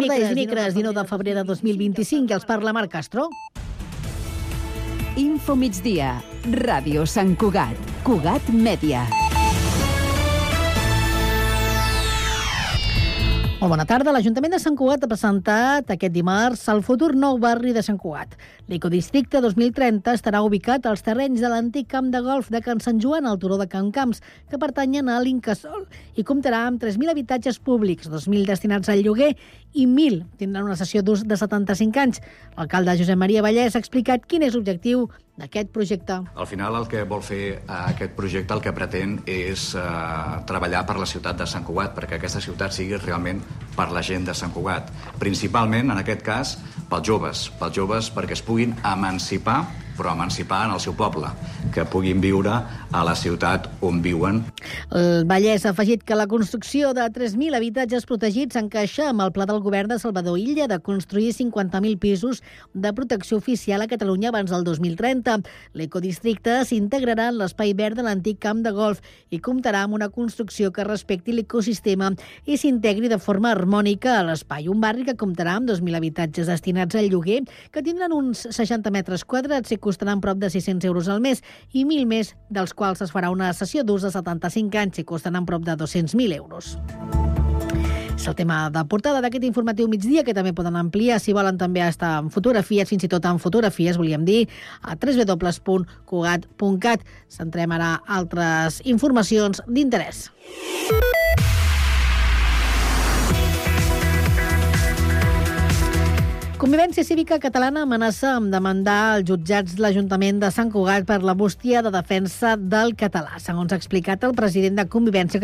dimecres 19 de febrer de 2025 i els parla Marc Castro. Info migdia, Ràdio Sant Cugat, Cugat Mèdia. Molt bona tarda. L'Ajuntament de Sant Cugat ha presentat aquest dimarts el futur nou barri de Sant Cugat. L'Ecodistricte 2030 estarà ubicat als terrenys de l'antic camp de golf de Can Sant Joan, al turó de Can Camps, que pertanyen a l'Incasòl, i comptarà amb 3.000 habitatges públics, 2.000 destinats al lloguer i 1.000 tindran una cessió d'ús de 75 anys. L'alcalde Josep Maria Vallès ha explicat quin és l'objectiu d'aquest projecte. Al final el que vol fer aquest projecte, el que pretén és treballar per la ciutat de Sant Cugat, perquè aquesta ciutat sigui realment per la gent de Sant Cugat. Principalment, en aquest cas, pels joves perquè es puguin emancipar, però emancipar en el seu poble, que puguin viure a la ciutat on viuen. El Vallès ha afegit que la construcció de 3.000 habitatges protegits encaixa amb el pla del govern de Salvador Illa de construir 50.000 pisos de protecció oficial a Catalunya abans del 2030. L'ecodistricte s'integrarà en l'espai verd de l'antic camp de golf i comptarà amb una construcció que respecti l'ecosistema i s'integri de forma harmònica a l'espai. Un barri que comptarà amb 2.000 habitatges destinats al lloguer, que tindran uns 60 metres quadrats i costaran prop de 600 euros al mes, i 1.000 més, dels quals es farà una cessió d'ús de 75 anys i costaran prop de 200.000 euros. És el tema de portada d'aquest informatiu migdia, que també poden ampliar, si volen també estar en fotografies, fins i tot en fotografies, volíem dir, a www.cugat.cat. Centrem ara altres informacions d'interès. Convivència Cívica Catalana amenaça amb demandar els jutjats de l'Ajuntament de Sant Cugat per la bústia de defensa del català. Segons ha explicat el president de Convivència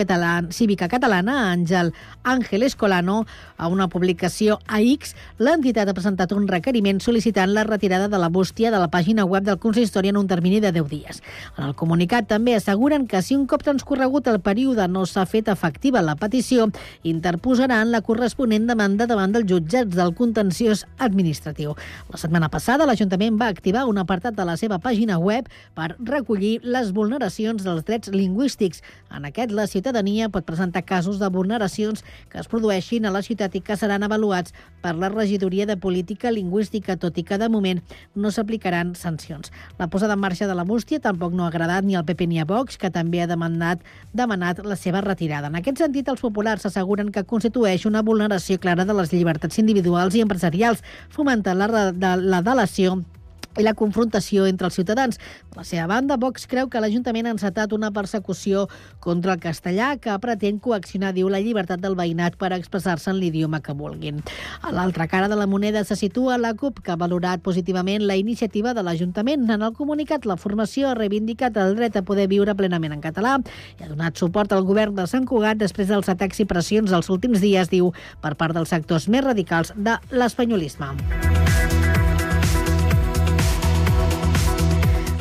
Cívica Catalana, Àngel Escolano, a una publicació a X, l'entitat ha presentat un requeriment sol·licitant la retirada de la bústia de la pàgina web del consistori en un termini de 10 dies. En el comunicat també asseguren que si un cop transcorregut el període no s'ha fet efectiva la petició, interposaran la corresponent demanda davant dels jutjats del contenciós administratiu. La setmana passada, l'Ajuntament va activar un apartat de la seva pàgina web per recollir les vulneracions dels drets lingüístics. En aquest, la ciutadania pot presentar casos de vulneracions que es produeixin a la ciutat i que seran avaluats per la Regidoria de Política Lingüística, tot i que de moment no s'aplicaran sancions. La posada en marxa de la bústia tampoc no ha agradat ni al PP ni a Vox, que també ha demanat la seva retirada. En aquest sentit, els populars asseguren que constitueix una vulneració clara de les llibertats individuals i empresarials, fomentant la delació i la confrontació entre els ciutadans. De la seva banda, Vox creu que l'Ajuntament ha encetat una persecució contra el castellà que pretén coaccionar, diu, la llibertat del veïnat per expressar-se en l'idioma que vulguin. A l'altra cara de la moneda se situa la CUP, que ha valorat positivament la iniciativa de l'Ajuntament. En el comunicat, la formació ha reivindicat el dret a poder viure plenament en català i ha donat suport al govern de Sant Cugat després dels atacs i pressions dels últims dies, diu, per part dels sectors més radicals de l'espanyolisme.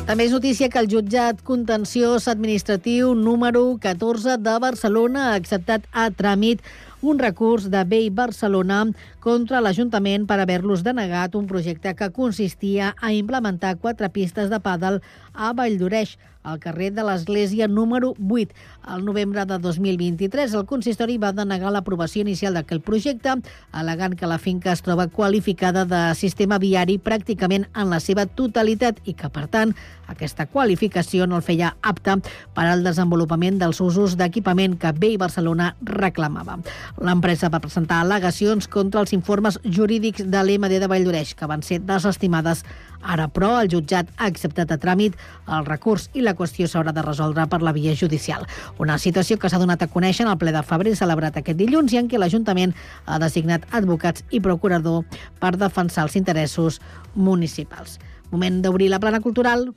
També és notícia que el jutjat contenciós administratiu número 14 de Barcelona ha acceptat a tràmit un recurs de BEI Barcelona contra l'Ajuntament per haver-los denegat un projecte que consistia a implementar 4 pistes de pàdel a Valldoreix, al carrer de l'Església número 8. Al novembre de 2023, el consistori va denegar l'aprovació inicial d'aquell projecte, al·legant que la finca es troba qualificada de sistema viari pràcticament en la seva totalitat i que, per tant, aquesta qualificació no el feia apte per al desenvolupament dels usos d'equipament que BEI Barcelona reclamava. L'empresa va presentar al·legacions contra els informes jurídics de l'EMD de Valldoreix, que van ser desestimades. Ara, però, el jutjat ha acceptat a tràmit el recurs i la qüestió s'haurà de resoldre per la via judicial. Una situació que s'ha donat a conèixer en el ple de febrer celebrat aquest dilluns i en què l'Ajuntament ha designat advocats i procurador per defensar els interessos municipals. Moment d'obrir la plana cultural.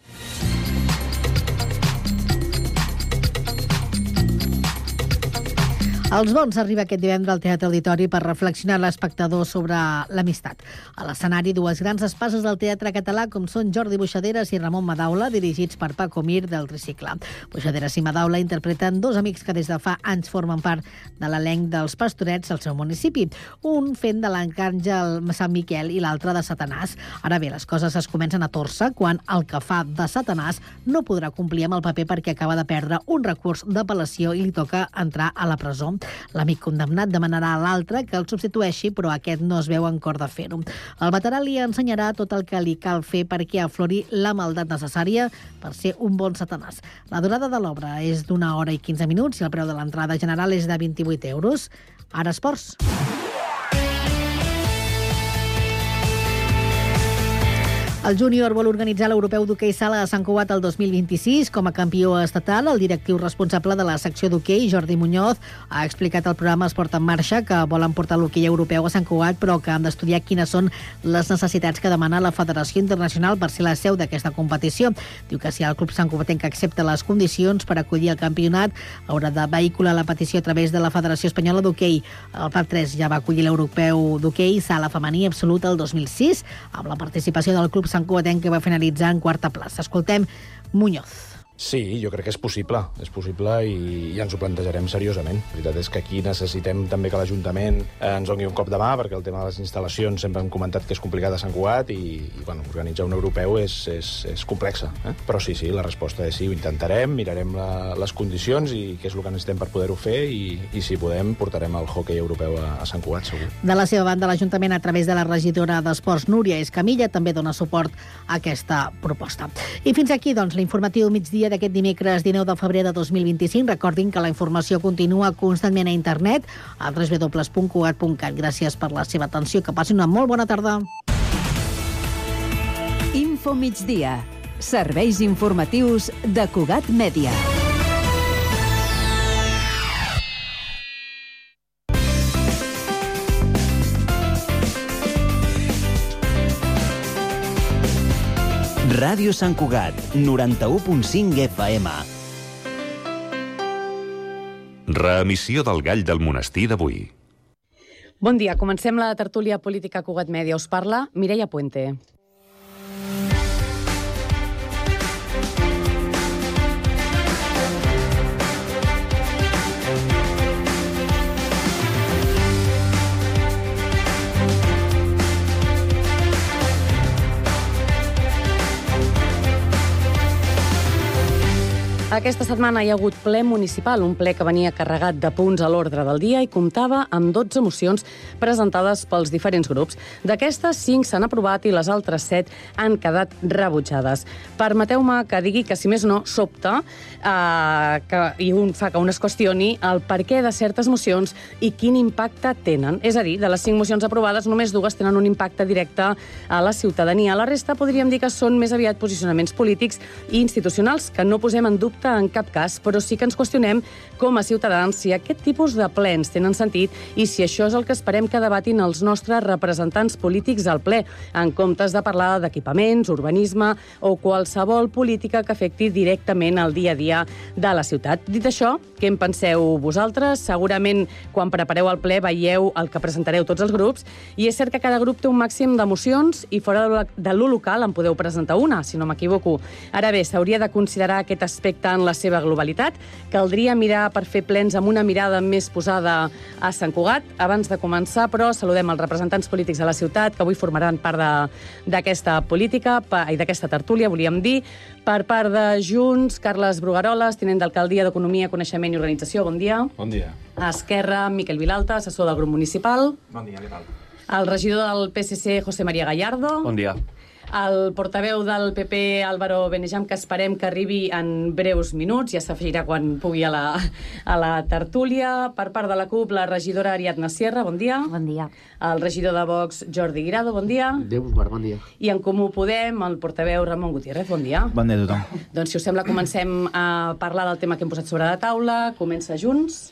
Els Bons arriba aquest divendres al Teatre Auditori per reflexionar l'espectador sobre l'amistat. A l'escenari, 2 grans espases del teatre català, com són Jordi Buixaderes i Ramon Madaula, dirigits per Paco Mir del Tricicle. Buixaderes i Madaula interpreten 2 amics que des de fa anys formen part de l'elenc dels Pastorets al seu municipi, un fent de l'Arcàngel Sant Miquel i l'altre de Satanàs. Ara bé, les coses es comencen a tòrcer quan el que fa de Satanàs no podrà complir amb el paper perquè acaba de perdre un recurs d'apel·lació i li toca entrar a la presó. L'amic condemnat demanarà a l'altre que el substitueixi, però aquest no es veu en cor de fer-ho. El veterà li ensenyarà tot el que li cal fer perquè aflori la maldat necessària per ser un bon satanàs. La durada de l'obra és d'1 hora i 15 minuts i el preu de l'entrada general és de 28 euros. Ara esports. El júnior vol organitzar l'Europeu d'hoquei sala a Sant Cugat el 2026 com a campió estatal. El directiu responsable de la secció d'hoquei, Jordi Muñoz, ha explicat al programa Esport en Marxa que volen portar l'hoquei europeu a Sant Cugat, però que han d'estudiar quines són les necessitats que demana la Federació Internacional per ser la seu d'aquesta competició. Diu que si el club santcugatenc accepta les condicions per acollir el campionat, haurà de vehicular la petició a través de la Federació Espanyola d'Hoquei. El PAC 3 ja va acollir l'Europeu d'hoquei sala femení absoluta el 2006, amb la participació del club santcugatenc que va finalitzar en 4a plaça. Escoltem Muñoz. Sí, jo crec que és possible i ens ho plantejarem seriosament. La veritat és que aquí necessitem també que l'Ajuntament ens doni un cop de mà, perquè el tema de les instal·lacions sempre hem comentat que és complicat a Sant Cugat i organitzar un europeu és complexa. Però sí, la resposta és sí, ho intentarem, mirarem les condicions i què és el que necessitem per poder-ho fer i si podem portarem el hoquei europeu a Sant Cugat, segur. De la seva banda, l'Ajuntament, a través de la regidora d'Esports, Núria Escamilla, també dona suport a aquesta proposta. I fins aquí, doncs, l'informatiu migdia d'aquest dimecres 19 de febrer de 2025. Recordin que la informació continua constantment a internet a www.cugat.cat. Gràcies per la seva atenció. Que passin una molt bona tarda. Info migdia. Serveis informatius de Cugat Mèdia. Ràdio Sant Cugat, 91.5 FM. Reemissió del Gall del Monestir d'avui. Bon dia, comencem la tertúlia política Cugat Mèdia. Us parla Mireia Puente. Aquesta setmana hi ha hagut ple municipal, un ple que venia carregat de punts a l'ordre del dia i comptava amb 12 mocions presentades pels diferents grups. D'aquestes, 5 s'han aprovat i les altres 7 han quedat rebutjades. Permeteu-me que digui que, si més no, sobta i fa que un es qüestioni el perquè de certes mocions i quin impacte tenen. És a dir, de les 5 mocions aprovades, només 2 tenen un impacte directe a la ciutadania. La resta podríem dir que són més aviat posicionaments polítics i institucionals que no posem en dubte en cap cas, però sí que ens qüestionem com a ciutadans si aquest tipus de plens tenen sentit i si això és el que esperem que debatin els nostres representants polítics al ple, en comptes de parlar d'equipaments, urbanisme o qualsevol política que afecti directament el dia a dia de la ciutat. Dit això, què en penseu vosaltres? Segurament, quan prepareu el ple, veieu el que presentareu tots els grups, i és cert que cada grup té un màxim de mocions i fora de lo local en podeu presentar una, si no m'equivoco. Ara bé, s'hauria de considerar aquest aspecte en la seva globalitat. Caldria mirar per fer plens amb una mirada més posada a Sant Cugat. Abans de començar, però, saludem els representants polítics de la ciutat que avui formaran part d'aquesta política i d'aquesta tertúlia, volíem dir. Per part de Junts, Carles Brugaroles, tinent d'Alcaldia d'Economia, Coneixement i Organització. Bon dia. Bon dia. A Esquerra, Miquel Vilalta, assessor del grup municipal. Bon dia, què tal? El regidor del PSC, José María Gallardo. Bon dia. El portaveu del PP, Álvaro Benejam, que esperem que arribi en breus minuts, ja s'afegirà quan pugui a la tertúlia. Per part de la CUP, la regidora Ariadna Sierra, bon dia. Bon dia. El regidor de Vox, Jordi Guirado, bon dia. Déu us guard, bon dia. I en Comú Podem, el portaveu Ramon Gutiérrez, bon dia. Bon dia a tothom. Doncs, si us sembla, comencem a parlar del tema que hem posat sobre la taula. Comença Junts.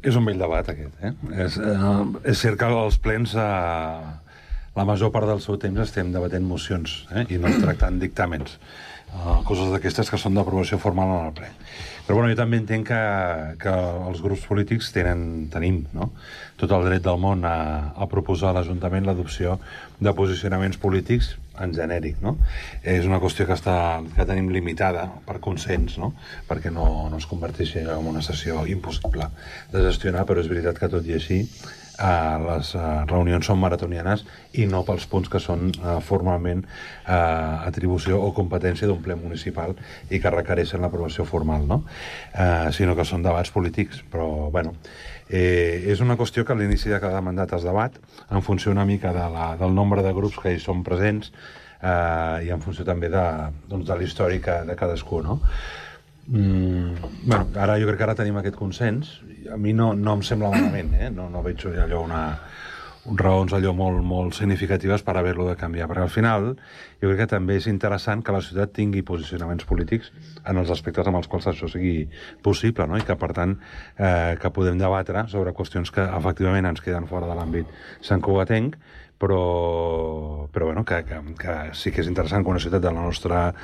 És un vell debat, aquest. És cert que els plens... La major part del seu temps estem debatent mocions i no tractant dictàmens. Coses d'aquestes que són d'aprovació formal en el ple. Però jo també entenc que els grups polítics tenim tot el dret del món a proposar a l'Ajuntament l'adopció de posicionaments polítics en genèric. És una qüestió que tenim limitada per consens, perquè no es converteixi en una sessió impossible de gestionar, però és veritat que tot i així les reunions són maratonianes i no pels punts que són formalment atribució o competència d'un ple municipal i que requereixen l'aprovació formal, no? Sinó que són debats polítics. Però, bueno, és una qüestió que a l'inici de cada mandat es debat en funció una mica del nombre de grups que hi són presents i en funció també de l'històric de cadascú, no? Bueno, ara jo crec que ara tenim aquest consens. A mi no em sembla malament, no veig allò raons allò molt significatives per haver-lo de canviar, perquè al final jo crec que també és interessant que la ciutat tingui posicionaments polítics en els aspectes amb els quals això sigui possible, no? I que per tant que podem debatre sobre qüestions que efectivament ens queden fora de l'àmbit santcugatenc, però bueno, que sí que és interessant que una ciutat de la nostra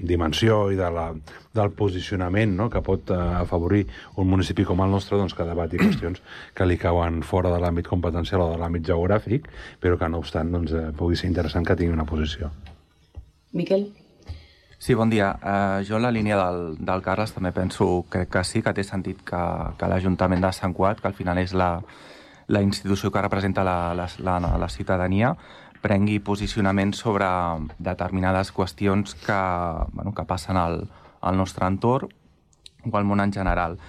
dimensió i del posicionament, no?, que pot afavorir un municipi com el nostre, doncs que debati qüestions que li cauen fora de l'àmbit competencial o de l'àmbit geogràfic, però que no obstant pugui ser interessant que tingui una posició. Miquel? Sí, bon dia. Jo en la línia del Carles també penso que sí, que té sentit que l'Ajuntament de Sant Cugat, que al final és la institució que representa la ciutadania, prengui posicionament sobre determinades qüestions que passen al nostre entorn o al món en general.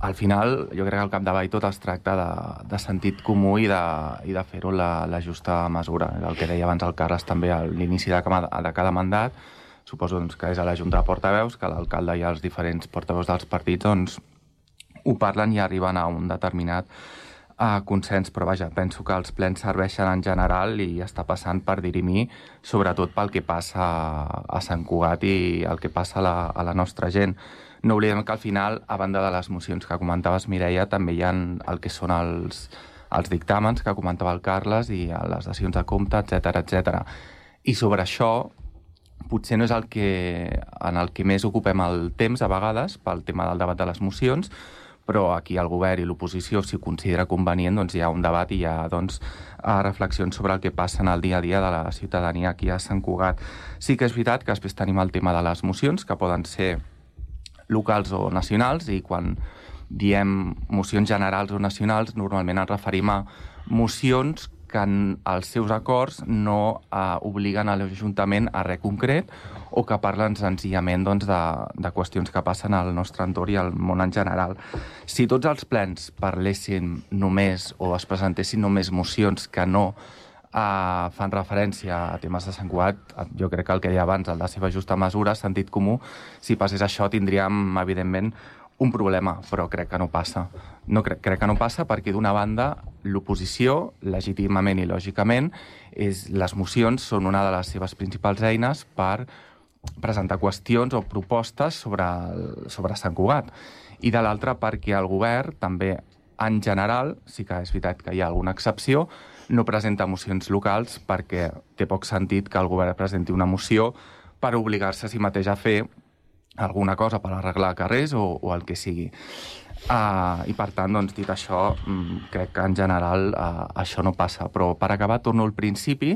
Al final, jo crec que al capdavall tot es tracta de sentit comú i de fer-ho la justa mesura. El que deia abans el Carles també a l'inici de cada mandat, suposo que és a la Junta de Portaveus, que l'alcalde i els diferents portaveus dels partits ho parlen i arriben a un determinat consens, però vaja, penso que els plens serveixen en general i està passant per dirimir, sobretot pel que passa a Sant Cugat i el que passa a la nostra gent. No oblidem que al final, a banda de les mocions que comentaves, Mireia, també hi ha el que són els dictàmens que comentava el Carles i les dacions de compte, etc. I sobre això, potser no és en el que més ocupem el temps a vegades, pel tema del debat de les mocions, però aquí el govern i l'oposició, si ho considera convenient, doncs hi ha un debat i hi ha reflexions sobre el que passa en el dia a dia de la ciutadania aquí a Sant Cugat. Sí que és veritat que després tenim el tema de les mocions, que poden ser locals o nacionals, i quan diem mocions generals o nacionals, normalment ens referim a mocions que en els seus acords no obliguen a l'Ajuntament a res concret o que parlen senzillament de qüestions que passen al nostre entorn i al món en general. Si tots els plens parlessin només o es presentessin només mocions que no fan referència a temes de Sant Cugat, jo crec que el que deia abans, el de seva justa mesura, sentit comú, si passés això tindríem, evidentment, un problema, però crec que no passa. Crec que no passa perquè, d'una banda, l'oposició, legítimament i lògicament, les mocions són una de les seves principals eines per presentar qüestions o propostes sobre Sant Cugat. I de l'altra, perquè el govern també, en general, sí que és veritat que hi ha alguna excepció, no presenta mocions locals perquè té poc sentit que el govern presenti una moció per obligar-se a si mateix a fer alguna cosa per arreglar carrers o el que sigui. I per tant, doncs, dit això, crec que en general això no passa. Però per acabar, torno al principi,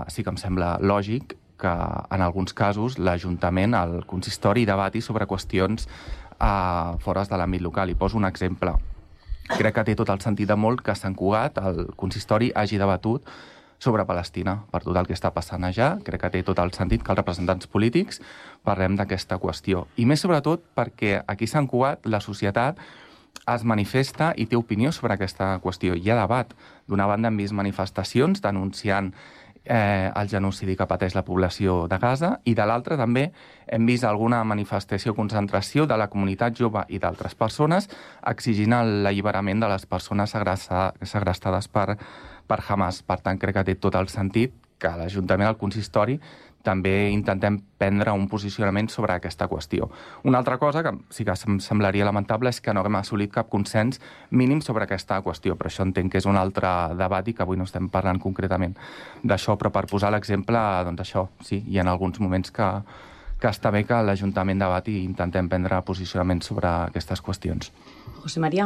sí que em sembla lògic que en alguns casos l'Ajuntament, el consistori, debati sobre qüestions fora de l'àmbit local. I poso un exemple. Crec que té tot el sentit de molt que a Sant Cugat el consistori hagi debatut sobre Palestina, per tot el que està passant allà. Crec que té tot el sentit que els representants polítics parlem d'aquesta qüestió. I més sobretot perquè aquí a Sant Cugat la societat es manifesta i té opinió sobre aquesta qüestió. Hi ha debat. D'una banda hem vist manifestacions denunciant el genocidi que pateix la població de Gaza, i de l'altra també hem vist alguna manifestació o concentració de la comunitat jove i d'altres persones exigint l'alliberament de les persones segrestades per Hamas. Per tant, crec que té tot el sentit que l'Ajuntament, el consistori, també intentem prendre un posicionament sobre aquesta qüestió. Una altra cosa que sí que em semblaria lamentable és que no haguem assolit cap consens mínim sobre aquesta qüestió, però això entenc que és un altre debat i que avui no estem parlant concretament d'això, però per posar l'exemple, doncs això, sí, hi ha alguns moments que està bé que l'Ajuntament debati i intentem prendre posicionament sobre aquestes qüestions. José María.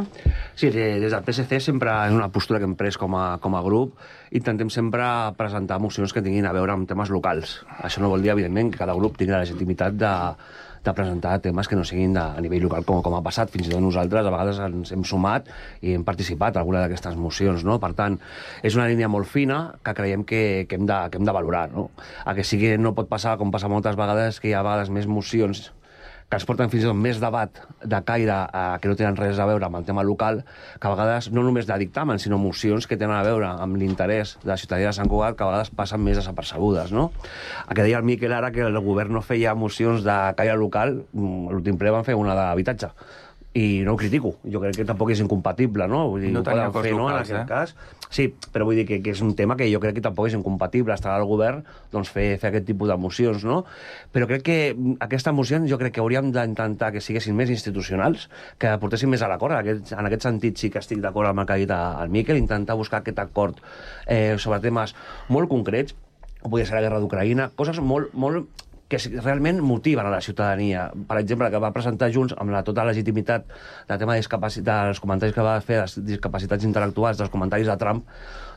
Sí, des del PSC sempre en una postura que hem pres com a grup intentem sempre presentar mocions que tinguin a veure amb temes locals. Això no vol dir, evidentment, que cada grup tingui la legitimitat de presentar temes que no siguin a nivell local, com ha passat. Fins i tot nosaltres a vegades ens hem sumat i hem participat en alguna d'aquestes mocions, no? Per tant, és una línia molt fina que creiem que hem de valorar, no? A que sigui, no pot passar, com passa moltes vegades, que hi ha a vegades més mocions que ens porten fins i tot més debat de caire que no tenen res a veure amb el tema local, que a vegades no només de dictamen, sinó mocions que tenen a veure amb l'interès de la ciutadania de Sant Cugat, que a vegades passen més desapercebudes, no? El que deia el Miquel ara, que el govern no feia mocions de caire local, l'últim ple van fer una d'habitatge. I no ho critico, jo crec que tampoc és incompatible, no? Vull dir, no tenia cos fer, locals, en aquest cas. Sí, però vull dir que és un tema que jo crec que tampoc és incompatible estar al govern, doncs fer aquest tipus de mocions, no? Però crec que aquestes mocions jo crec que hauríem d'intentar que siguessin més institucionals, que portessin més a l'acord. En aquest sentit sí que estic d'acord amb el que ha dit el Miquel, intentar buscar aquest acord sobre temes molt concrets, com podria ser la guerra d'Ucraïna, coses molt que realment motiven a la ciutadania. Per exemple, que va presentar Junts amb tota la legitimitat del tema dels comentaris que va fer les discapacitats intel·lectuals, dels comentaris de Trump,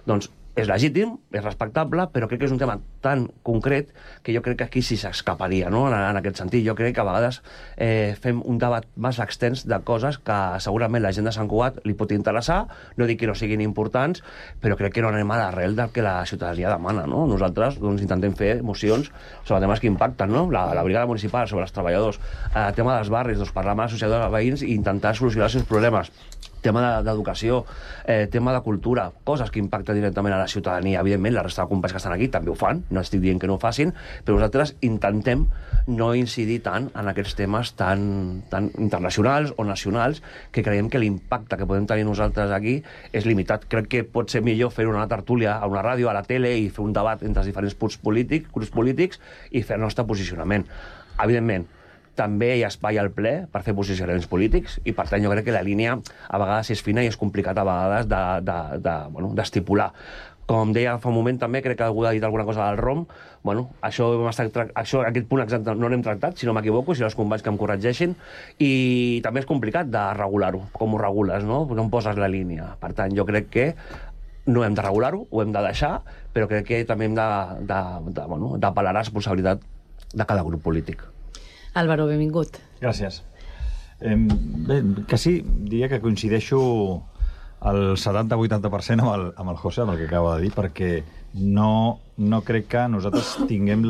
doncs és legítim, és respectable, però crec que és un tema tan concret que jo crec que aquí sí s'escaparia, no? En aquest sentit. Jo crec que a vegades fem un debat més extens de coses que segurament la gent de Sant Cugat li pot interessar, no dic que no siguin importants, però crec que no anem a l'arrel del que la ciutadania demana, no? Nosaltres doncs, intentem fer mocions sobre temes que impacten, no? La brigada municipal, sobre els treballadors, el tema dels barris, doncs, parlar amb l'associació de veïns i intentar solucionar els seus problemes. Tema d'educació, tema de cultura, coses que impacten directament a la ciutadania. Evidentment, la resta de companys que estan aquí també ho fan, no estic dient que no ho facin, però nosaltres intentem no incidir tant en aquests temes tan internacionals o nacionals que creiem que l'impacte que podem tenir nosaltres aquí és limitat. Crec que pot ser millor fer una tertúlia a una ràdio, a la tele, i fer un debat entre els diferents grups polítics i fer el nostre posicionament. Evidentment, també hi ha espai al ple per fer posicionaments polítics i, per tant, jo crec que la línia a vegades és fina i és complicat a vegades d'estipular. Com deia fa un moment també, crec que algú ha dit alguna cosa del ROM, aquest punt exacte no l'hem tractat, si no m'equivoco, si els companys que em corregeixin, i també és complicat de regular-ho, com ho regules, no? No em poses la línia. Per tant, jo crec que no hem de regular-ho, ho hem de deixar, però crec que també hem d'apel·lar a la responsabilitat de cada grup polític. Álvaro, benvingut. Gràcies. Bé, que sí, diria que coincideixo el 70-80% amb el José, amb el que acaba de dir, perquè no crec que nosaltres tinguem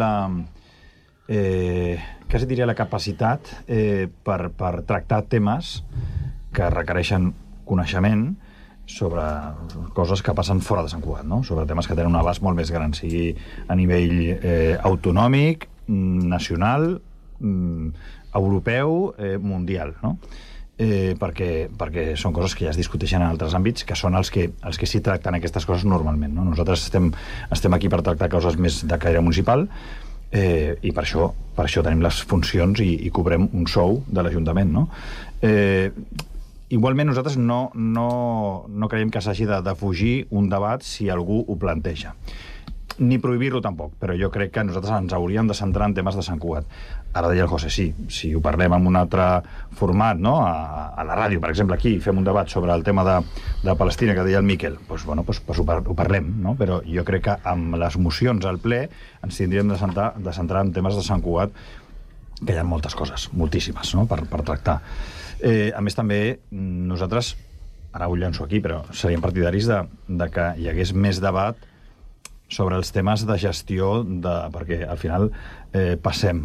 quasi diria la capacitat per tractar temes que requereixen coneixement sobre coses que passen fora de Sant Cugat, no? Sobre temes que tenen un abast molt més gran, sigui a nivell autonòmic, nacional, europeu, mundial, no? Perquè són coses que ja es discuteixen en altres àmbits, que són els que sí tracten aquestes coses normalment, no? Nosaltres estem aquí per tractar coses més de caire municipal i per això tenim les funcions i cobrem un sou de l'Ajuntament, no? Igualment nosaltres no creiem que s'hagi de fugir un debat si algú ho planteja, ni prohibir-lo tampoc, però jo crec que nosaltres ens hauríem de centrar en temes de Sant Cugat. Ara deia el José, sí, si ho parlem en un altre format, no? A la ràdio, per exemple, aquí fem un debat sobre el tema de Palestina, que deia el Miquel, doncs ho parlem, no? Però jo crec que amb les mocions al ple ens tindríem de centrar en temes de Sant Cugat, que hi ha moltes coses, moltíssimes, no? Per tractar. A més, també, nosaltres, ara ho llanço aquí, però seríem partidaris de que hi hagués més debat sobre els temes de gestió, perquè al final passem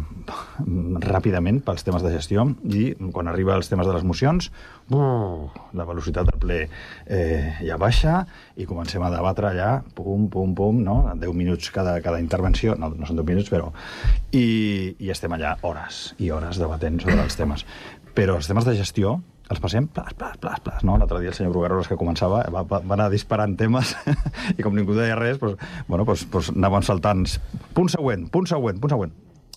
ràpidament pels temes de gestió i quan arriba als temes de les mocions la velocitat del ple ja baixa i comencem a debatre allà, pum, no? 10 minuts cada intervenció, no són 10 minuts, però i estem allà hores i hores debatent sobre els temes. Però els temes de gestió els passem plas, no? L'altre dia el senyor Brugueroles, que començava, va anar disparant temes i com ningú deia res, doncs anaven saltant punt següent.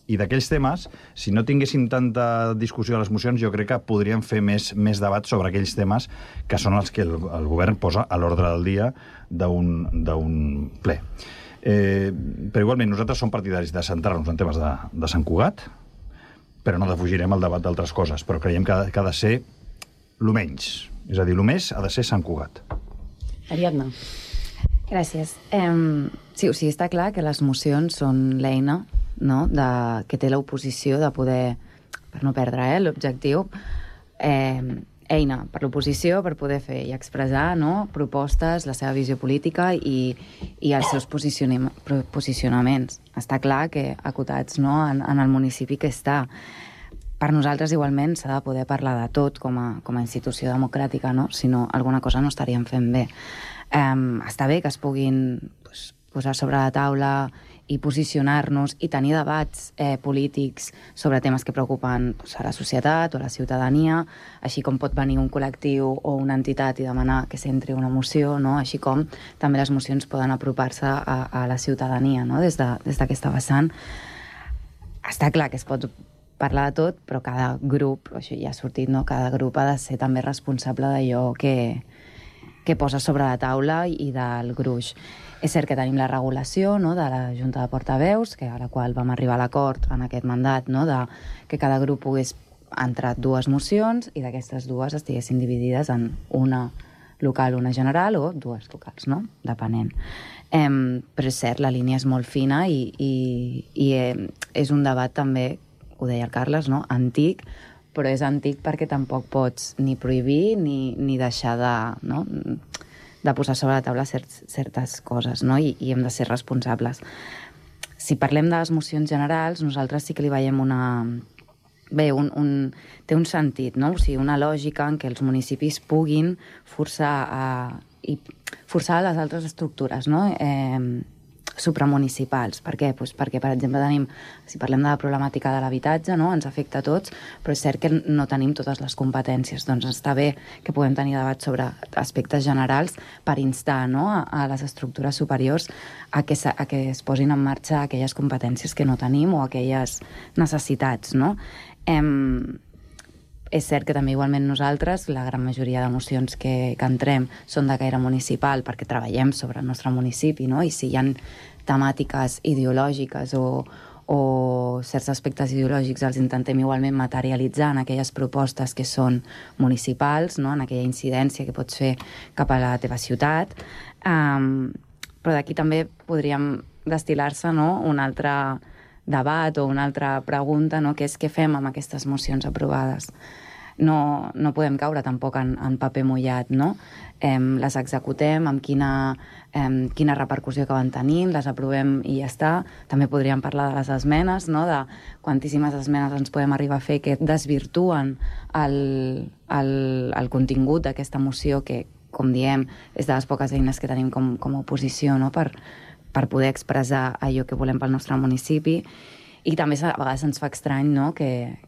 I d'aquells temes, si no tinguéssim tanta discussió a les mocions, jo crec que podríem fer més debat sobre aquells temes que són els que el govern posa a l'ordre del dia d'un ple. Però igualment nosaltres som partidaris de centrar-nos en temes de Sant Cugat, però no defugirem el debat d'altres coses, però creiem que ha de ser lo menys. És a dir, lo més ha de ser Sant Cugat. Ariadna. Gràcies. Sí, o sigui, està clar que les mocions són l'eina, no?, que té l'oposició de poder no perdre l'objectiu, eina per l'oposició per poder fer i expressar, no?, propostes, la seva visió política i els seus posicionaments. Està clar que acotats, no?, en el municipi que està. Per nosaltres, igualment, s'ha de poder parlar de tot com a institució democràtica, no? Si no, alguna cosa no estaríem fent bé. Està bé que es puguin posar sobre la taula i posicionar-nos i tenir debats polítics sobre temes que preocupen a la societat o a la ciutadania, així com pot venir un col·lectiu o una entitat i demanar que s'entri una moció, no? Així com també les mocions poden apropar-se a la ciutadania, no?, des d'aquesta vessant. Està clar que es pot parlar de tot, però cada grup, això ja ha sortit, no?, cada grup ha de ser també responsable d'allò que posa sobre la taula i del gruix. És cert que tenim la regulació, no?, de la Junta de Portaveus, a la qual vam arribar a l'acord en aquest mandat, no?, de que cada grup pogués entrar 2 mocions i d'aquestes 2 estiguessin dividides en una local, una general, o 2 locals, no?, depenent. Però és cert, la línia és molt fina i és un debat també, ho deia el Carles, no?, antic, però és antic perquè tampoc pots ni prohibir ni deixar de posar sobre la taula certes coses, no?, i hem de ser responsables. Si parlem de les mocions generals, nosaltres sí que li veiem té un sentit, no?, o sigui, una lògica en què els municipis puguin forçar les altres estructures, no?, supramunicipals. Per què? Perquè, per exemple, si parlem de la problemàtica de l'habitatge, no?, ens afecta a tots, però és cert que no tenim totes les competències. Doncs està bé que puguem tenir debat sobre aspectes generals per instar, no?, a les estructures superiors a que es posin en marxa aquelles competències que no tenim o aquelles necessitats, no? És cert que també igualment nosaltres, la gran majoria de mocions que entrem són de caire municipal perquè treballem sobre el nostre municipi, no? I si hi ha temàtiques ideològiques o certs aspectes ideològics els intentem igualment materialitzar en aquelles propostes que són municipals, no?, en aquella incidència que pots fer cap a la teva ciutat. Però d'aquí també podríem destil·lar-se, no?, un altre debat o una altra pregunta, no?, que és què fem amb aquestes mocions aprovades. No podem caure tampoc en paper mullat, no? Les executem, amb quina repercussió acaben tenint, les aprovem i ja està. També podríem parlar de les esmenes, no?, de quantíssimes esmenes ens podem arribar a fer que desvirtuen el contingut d'aquesta moció que, com diem, és de les poques eines que tenim com a oposició, no?, per poder expressar allò que volem pel nostre municipi. I també a vegades ens fa estrany, no?, que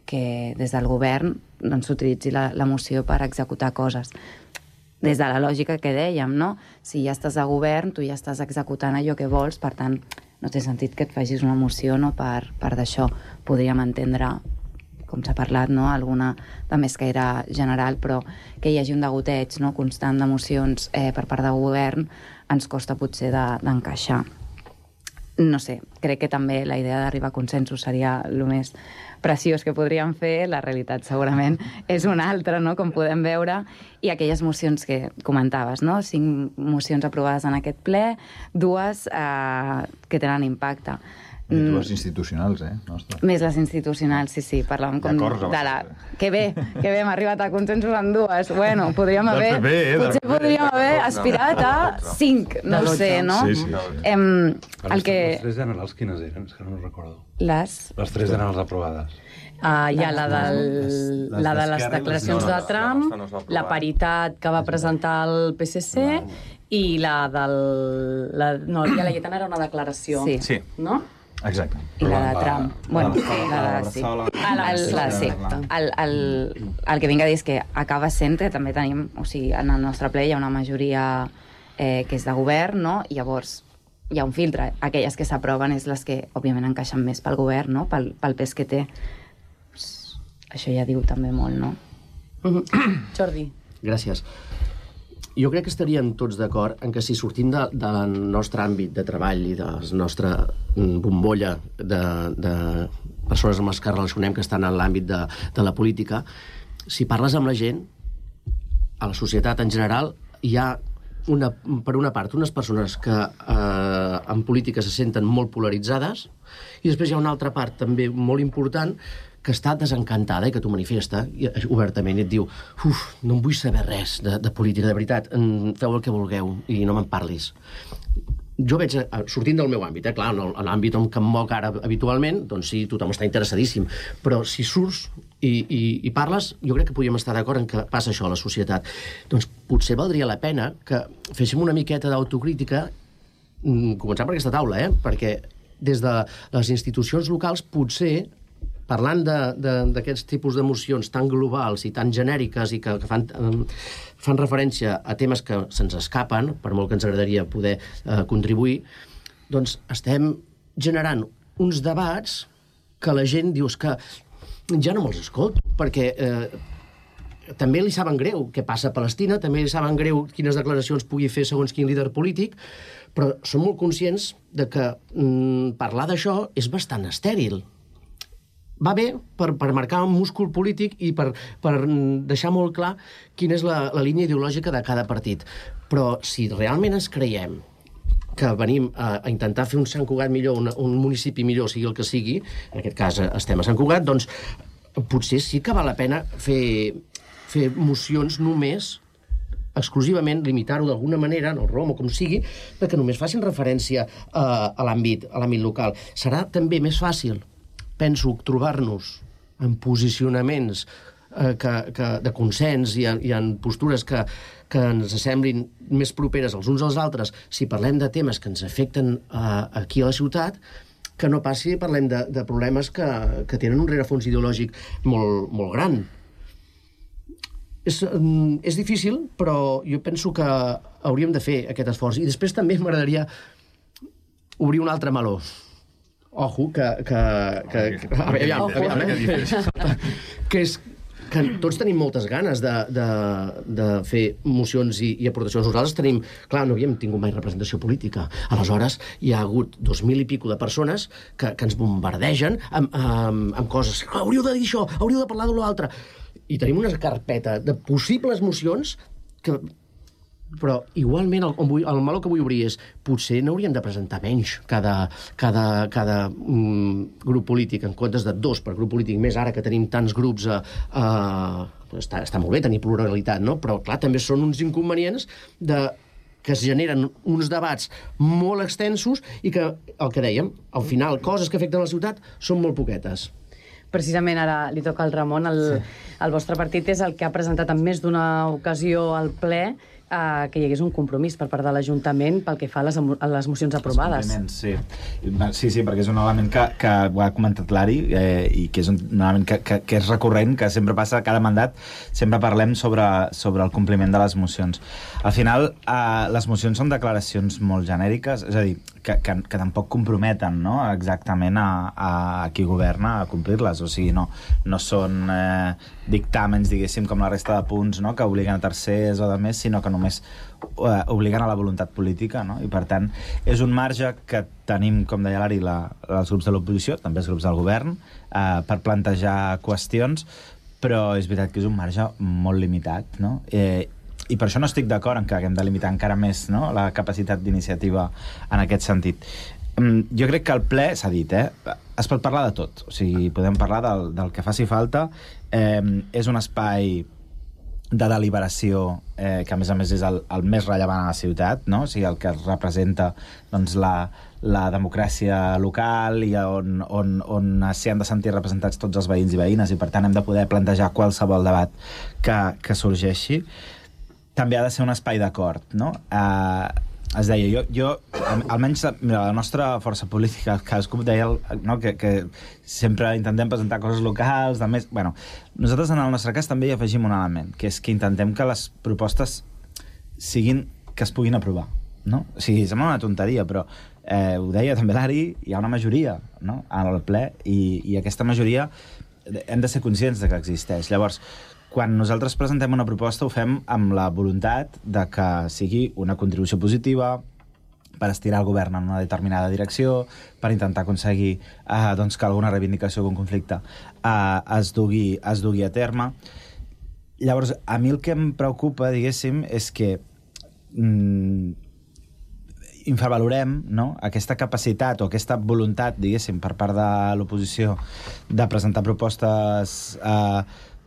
des del govern s'utilitzi la moció per executar coses. Des de la lògica que dèiem, no? Si ja estàs a govern, tu ja estàs executant allò que vols, per tant, no té sentit que et facis una moció, no?, per d'això. Podríem entendre, com s'ha parlat, no?, alguna de més caire general, però que hi hagi un degoteig, no?, constant de mocions per part del govern ens costa potser d'encaixar. No sé, crec que també la idea d'arribar a consensos seria el més preciós que podríem fer. La realitat segurament és una altra, no?, com podem veure, i aquelles mocions que comentaves, no?, 5 mocions aprovades en aquest ple, 2 que tenen impacte. I 2 institucionals, Nostre. Més les institucionals, sí, parlàvem com de la... Que bé, hem arribat a consensos en 2. Bueno, podríem haver... Potser podríem haver aspirat a 5, no ho sé, no? Sí. Les 3 generals quines eren? És que no recordo. Les 3 generals aprovades. Hi ha la de les declaracions de Trump, la paritat que va presentar el PSC i la del... No, el dia Laietana era una declaració, no? Exacte. I la de Trump. Bueno, sí. El que vinc a dir és que acaba sent que també tenim, o sigui, en el nostre ple hi ha una majoria que és de govern, no? I llavors hi ha un filtre. Aquelles que s'aproven és les que, òbviament, encaixen més pel govern, no?, pel pes que té. Això ja diu també molt, no? Jordi. Gràcies. Jo crec que estaríem tots d'acord en que si sortim del nostre àmbit de treball i de la nostra bombolla de persones amb les que relacionem que estan en l'àmbit de la política, si parles amb la gent, a la societat en general, hi ha, per una part, unes persones que en política se senten molt polaritzades i després hi ha una altra part també molt important que està desencantada i que t'ho manifesta obertament i et diu no en vull saber res de política, de veritat, feu el que vulgueu i no me'n parlis. Jo veig, sortint del meu àmbit, clar, en l'àmbit on em moc ara habitualment, doncs sí, tothom està interessadíssim, però si surts i parles, jo crec que podríem estar d'acord en que passa això a la societat. Doncs potser valdria la pena que féssim una miqueta d'autocrítica, començant per aquesta taula, perquè des de les institucions locals potser, parlant d'aquests tipus d'emocions tan globals i tan genèriques i que fan referència a temes que se'ns escapen, per molt que ens agradaria poder contribuir, doncs estem generant uns debats que la gent diu que ja no me'ls escolto, perquè també li saben greu què passa a Palestina, també li saben greu quines declaracions pugui fer segons quin líder polític, però som molt conscients de que parlar d'això és bastant estèril. Va bé per marcar un múscul polític i per deixar molt clar quina és la línia ideològica de cada partit. Però si realment ens creiem que venim a intentar fer un Sant Cugat millor, un municipi millor, sigui el que sigui, en aquest cas estem a Sant Cugat, doncs potser sí que val la pena fer mocions només, exclusivament, limitar-ho d'alguna manera, en el ROM o com sigui, perquè només facin referència a l'àmbit local. Serà també més fàcil, penso, trobar-nos en posicionaments de consens i en postures que ens semblin més properes els uns als altres si parlem de temes que ens afecten aquí a la ciutat, que no passi si parlem de problemes que tenen un rerefons ideològic molt gran. És difícil, però jo penso que hauríem de fer aquest esforç. I després també m'agradaria obrir un altre meló. Ojo, que és que tots tenim moltes ganes de fer mocions i aportacions. Nosaltres tenim... Clar, no havíem tingut mai representació política. Aleshores, hi ha hagut 2.000 i pico de persones que ens bombardegen amb coses. Hauríeu de dir això, hauríeu de parlar de l'altre. I tenim una carpeta de possibles mocions que... Però, igualment, el meló que vull obrir és potser n'hauríem de presentar menys cada grup polític, en comptes de 2 per grup polític, més ara que tenim tants grups està molt bé tenir pluralitat, no? Però, clar, també són uns inconvenients que es generen uns debats molt extensos i que, el que dèiem, al final, coses que afecten la ciutat són molt poquetes. Precisament ara li toca al Ramon. El vostre partit és el que ha presentat en més d'una ocasió al ple que hi hagués un compromís per part de l'Ajuntament pel que fa a les mocions aprovades. Sí, perquè és un element que ho ha comentat l'Ari i que és un element que és recurrent, que sempre passa cada mandat, sempre parlem sobre el compliment de les mocions. Al final, les mocions són declaracions molt genèriques, és a dir, que tampoc comprometen, no?, exactament a qui governa a complir-les, o sigui, no són dictàmens, diguéssim, com la resta de punts, no?, que obliguen a tercers o de més, sinó que només obliguen a la voluntat política, no? I per tant és un marge que tenim, com deia l'Ari, els grups de l'oposició, també els grups del govern, per plantejar qüestions, però és veritat que és un marge molt limitat, no? I per això no estic d'acord en que haguem de limitar encara més, no?, la capacitat d'iniciativa en aquest sentit. Jo crec que el ple, s'ha dit, es pot parlar de tot, o sigui, podem parlar del que faci falta, és un espai de deliberació que a més és el més rellevant a la ciutat, no? O sigui, el que representa doncs, la democràcia local i on s'hi han de sentir representats tots els veïns i veïnes i per tant hem de poder plantejar qualsevol debat que sorgeixi. També ha de ser un espai d'acord, no? Es deia, jo almenys la nostra força política, cadascú deia, no, que sempre intentem presentar coses locals, de més... Bueno, nosaltres en el nostre cas també hi afegim un element, que és que intentem que les propostes siguin que es puguin aprovar, no? O sigui, sembla una tonteria, però ho deia també l'Ari, hi ha una majoria, no?, al ple, i aquesta majoria hem de ser conscients de que existeix. Llavors, quan nosaltres presentem una proposta ho fem amb la voluntat de que sigui una contribució positiva per estirar el govern en una determinada direcció, per intentar aconseguir doncs, que alguna reivindicació o algun conflicte es dugui a terme. Llavors, a mi el que em preocupa, diguéssim, és que infravalorem, no?, aquesta capacitat o aquesta voluntat, diguéssim, per part de l'oposició de presentar propostes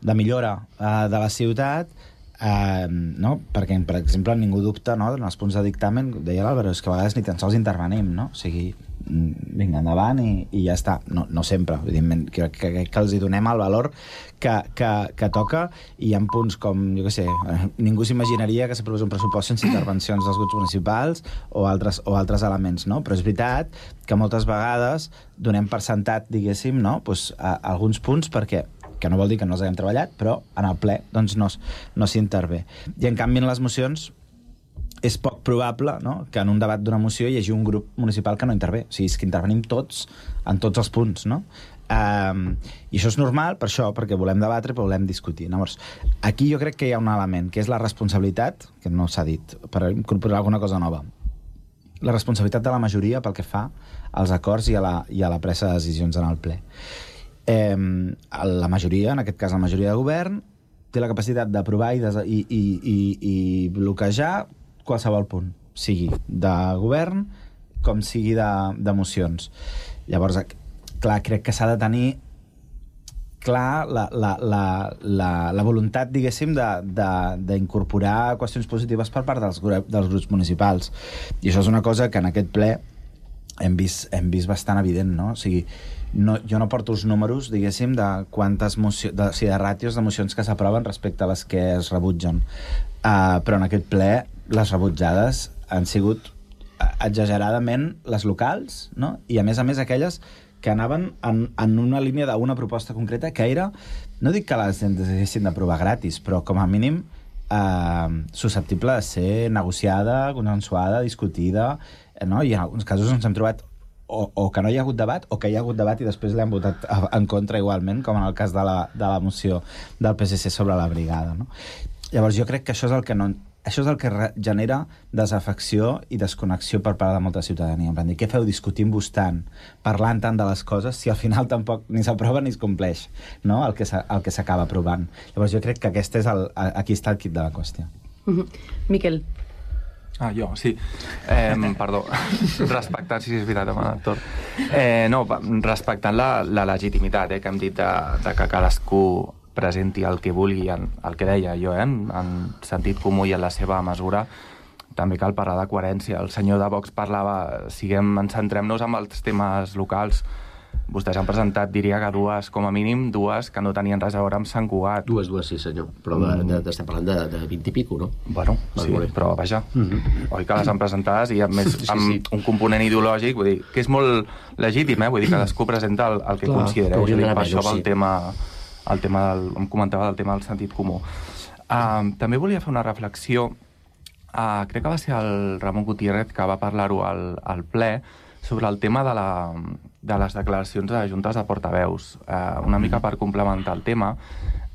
de millora de la ciutat, no? Perquè, per exemple, ningú dubta, no?, en els punts de dictamen, deia l'Àlvaro, és que a vegades ni tan sols intervenim, no? O sigui, vinga, endavant i ja està. No sempre, evidentment, que els hi donem el valor que toca, i hi ha punts com, jo què sé, ningú s'imaginaria que s'aprovés un pressupost sense intervencions dels grups municipals o altres elements, no? Però és veritat que moltes vegades donem per sentat, diguéssim, no?, pues, alguns punts perquè que no vol dir que no els haguem treballat, però en el ple doncs, no s'intervé. I en canvi en les mocions és poc probable, no?, que en un debat d'una moció hi hagi un grup municipal que no intervé. O sigui, és que intervenim tots en tots els punts, no? I això és normal, per això, perquè volem debatre, però volem discutir. Llavors, aquí jo crec que hi ha un element, que és la responsabilitat, que no s'ha dit, per incorporar alguna cosa nova. La responsabilitat de la majoria pel que fa als acords i a la presa de decisions en el ple. La majoria, en aquest cas la majoria de govern, té la capacitat d'aprovar i bloquejar qualsevol punt, sigui de govern com sigui de mocions. Llavors, clar, crec que s'ha de tenir clar la voluntat, diguéssim, d'incorporar qüestions positives per part dels grups municipals. I això és una cosa que en aquest ple hem vist bastant evident, no? O sigui, jo no porto els números, diguéssim, de quantes de ràtios de mocions que s'aproven respecte a les que es rebutgen. Però en aquest ple les rebutjades han sigut exageradament les locals, no? I a més aquelles que anaven en una línia d'una proposta concreta que era, no dic que les haguessin d'aprovar gratis, però com a mínim susceptible de ser negociada, consensuada, discutida, no? I en alguns casos ens hem trobat o que no hi ha hagut debat, o que hi ha hagut debat i després l'hem votat en contra igualment, com en el cas de la moció del PSC sobre la brigada, no? Llavors jo crec que això és el que genera desafecció i desconnexió per part de molta ciutadania. En plan, què feu discutint-vos tant, parlant tant de les coses, si al final tampoc ni s'aprova ni es compleix, no?, el que s'acaba aprovant. Llavors jo crec que aquí està el quid de la qüestió. Miquel. Jo, sí. Perdó. Respectant, sí, és veritat, Artur. No, respectant la legitimitat que hem dit de que cadascú presenti el que vulgui, el que deia jo, en sentit comú i en la seva mesura, també cal parlar de coherència. El senyor de Vox parlava, centrem-nos en els temes locals. Vostès han presentat, diria que com a mínim dues, que no tenien res a veure amb Sant Cugat. Dues, sí senyor, però estem parlant de 20 i pico, no? Bueno, sí, però vaja, oi que les han presentades i a més amb un component ideològic, vull dir, que és molt legítim, vull dir, cadascú presenta el que considera. Per això va el tema em comentava del tema del sentit comú. També volia fer una reflexió, crec que va ser el Ramon Gutiérrez que va parlar-ho al ple, sobre el tema de les declaracions de juntes de portaveus. Una mica per complementar el tema,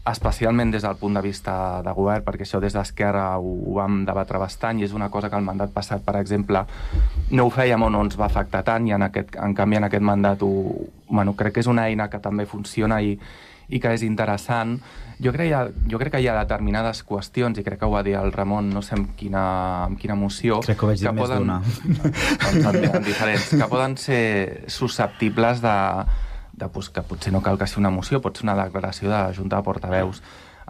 especialment des del punt de vista de govern, perquè això des d'Esquerra ho vam debatre bastant i és una cosa que el mandat passat, per exemple, no ho fèiem o no ens va afectar tant i en canvi en aquest mandat crec que és una eina que també funciona i que és interessant. Jo crec que hi ha determinades qüestions, i crec que ho va dir el Ramon, no sé en quina moció, crec que ho vaig dir més d'una. En diferents, que poden ser susceptibles que potser no cal que sigui una moció, pot ser una declaració de Junta de Portaveus.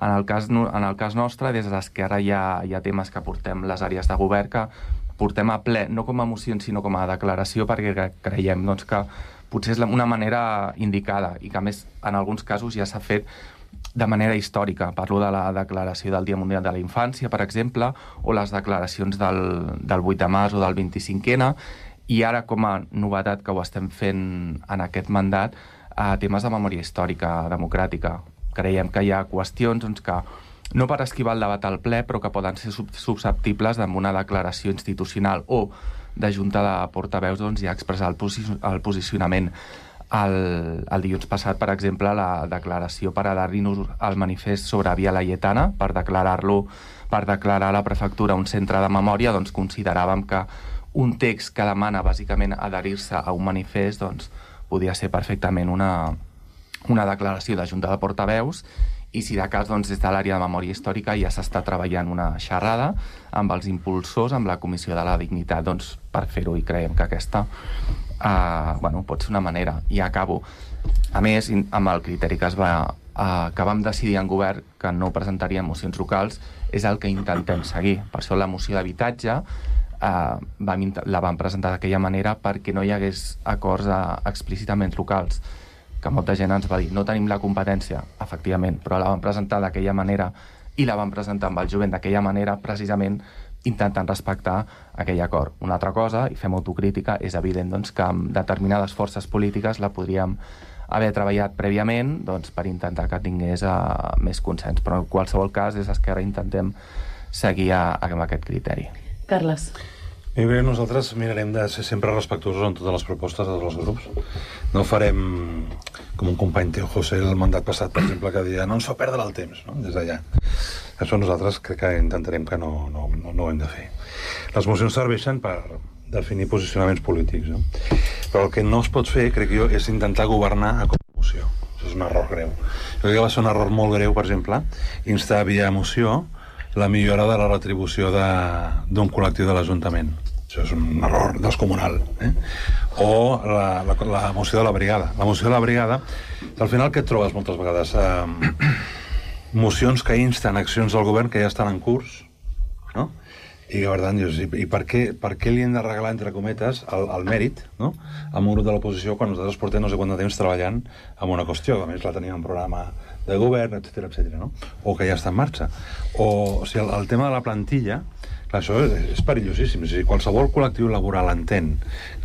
En el cas nostre, des d'Esquerra hi ha temes que portem les àrees de govern, que portem a ple, no com a mocions, sinó com a declaració, perquè creiem que potser és una manera indicada i que, a més, en alguns casos ja s'ha fet de manera històrica. Parlo de la declaració del Dia Mundial de la Infància, per exemple, o les declaracions del 8 de març o del 25N, i ara, com a novetat que ho estem fent en aquest mandat, temes de memòria històrica democràtica. Creiem que hi ha qüestions que no per esquivar el debat al ple, però que poden ser susceptibles d'una una declaració institucional o de Junta de Portaveus ja expressar el posicionament. El dilluns passat, per exemple, la declaració per adherir-nos al manifest sobre Via Laietana, per declarar a la prefectura un centre de memòria, doncs consideràvem que un text que demana bàsicament adherir-se a un manifest podia ser perfectament una declaració de Junta de Portaveus i si de cas, doncs, des de l'àrea de memòria històrica ja s'està treballant una xerrada amb els impulsors, amb la Comissió de la Dignitat, doncs, per fer-ho, i creiem que aquesta pot ser una manera. I acabo. A més, amb el criteri que vam decidir en govern que no presentaríem mocions locals, és el que intentem seguir. Per això la moció d'habitatge la vam presentar d'aquella manera perquè no hi hagués acords explícitament locals, que molta gent ens va dir, no tenim la competència, efectivament, però la vam presentar d'aquella manera i la vam presentar amb el jovent d'aquella manera, precisament intentant respectar aquell acord. Una altra cosa, i fem autocrítica, és evident doncs, que amb determinades forces polítiques la podríem haver treballat prèviament per intentar que tingués més consens, però en qualsevol cas des d'Esquerra intentem seguir amb aquest criteri. Carles. Nosaltres mirarem de ser sempre respectuosos en totes les propostes de tots els grups. No farem com un company teu, José, el mandat passat, per exemple, que deia no ens fa perdre el temps, no? Des d'allà. Això nosaltres crec que intentarem que no ho hem de fer. Les mocions serveixen per definir posicionaments polítics, no? Però el que no es pot fer, crec jo, és intentar governar a moció. Això és un error greu. Jo crec que va ser un error molt greu, per exemple, instar via moció la millora de la retribució d'un col·lectiu de l'Ajuntament. Això és un error descomunal. O la moció de la brigada. La moció de la brigada, al final què et trobes moltes vegades? Mocions que insten accions del govern que ja estan en curs, no? I per tant, dius, i per què li hem de regalar, entre cometes, el mèrit, no?, a un grup de l'oposició quan nosaltres portem no sé quant de temps treballant en una qüestió, que a més la teníem en programa de govern, etc., no? O que ja està en marxa. O sigui, el tema de la plantilla, clar, això és perillosíssim. Si qualsevol col·lectiu laboral entén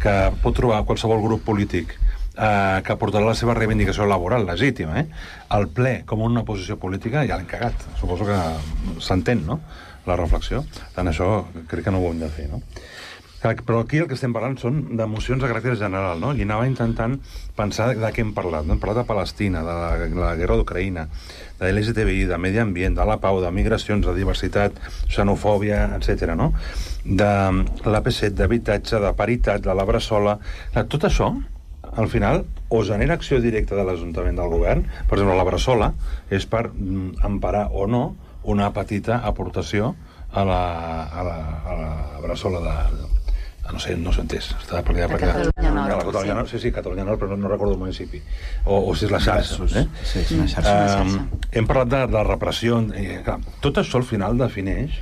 que pot trobar qualsevol grup polític que portarà la seva reivindicació laboral legítima al ple com una posició política, ja l'hem cagat. Suposo que s'entén, no?, la reflexió. Tant això crec que no ho hem de fer, no? Però aquí el que estem parlant són de mocions de caràcter general, no? I anava intentant pensar de què hem parlat. Hem parlat de Palestina, de la guerra d'Ucraïna, de l'LGTBI, de medi ambient, de la pau, de migracions, de diversitat, xenofòbia, etc., no? De l'AP7, d'habitatge, de paritat, de la Bressola. Tot això, al final, o genera acció directa de l'Ajuntament del Govern. Per exemple, la Bressola és per emparar o no una petita aportació a la Bressola de... No sé, no s'ho entès. Està per allà, Catalunya Nord. Sí, Catalunya Nord, però no recordo el municipi. O si és la xarxa. Sí, és una xarxa. Hem parlat de repressió. Tot això al final defineix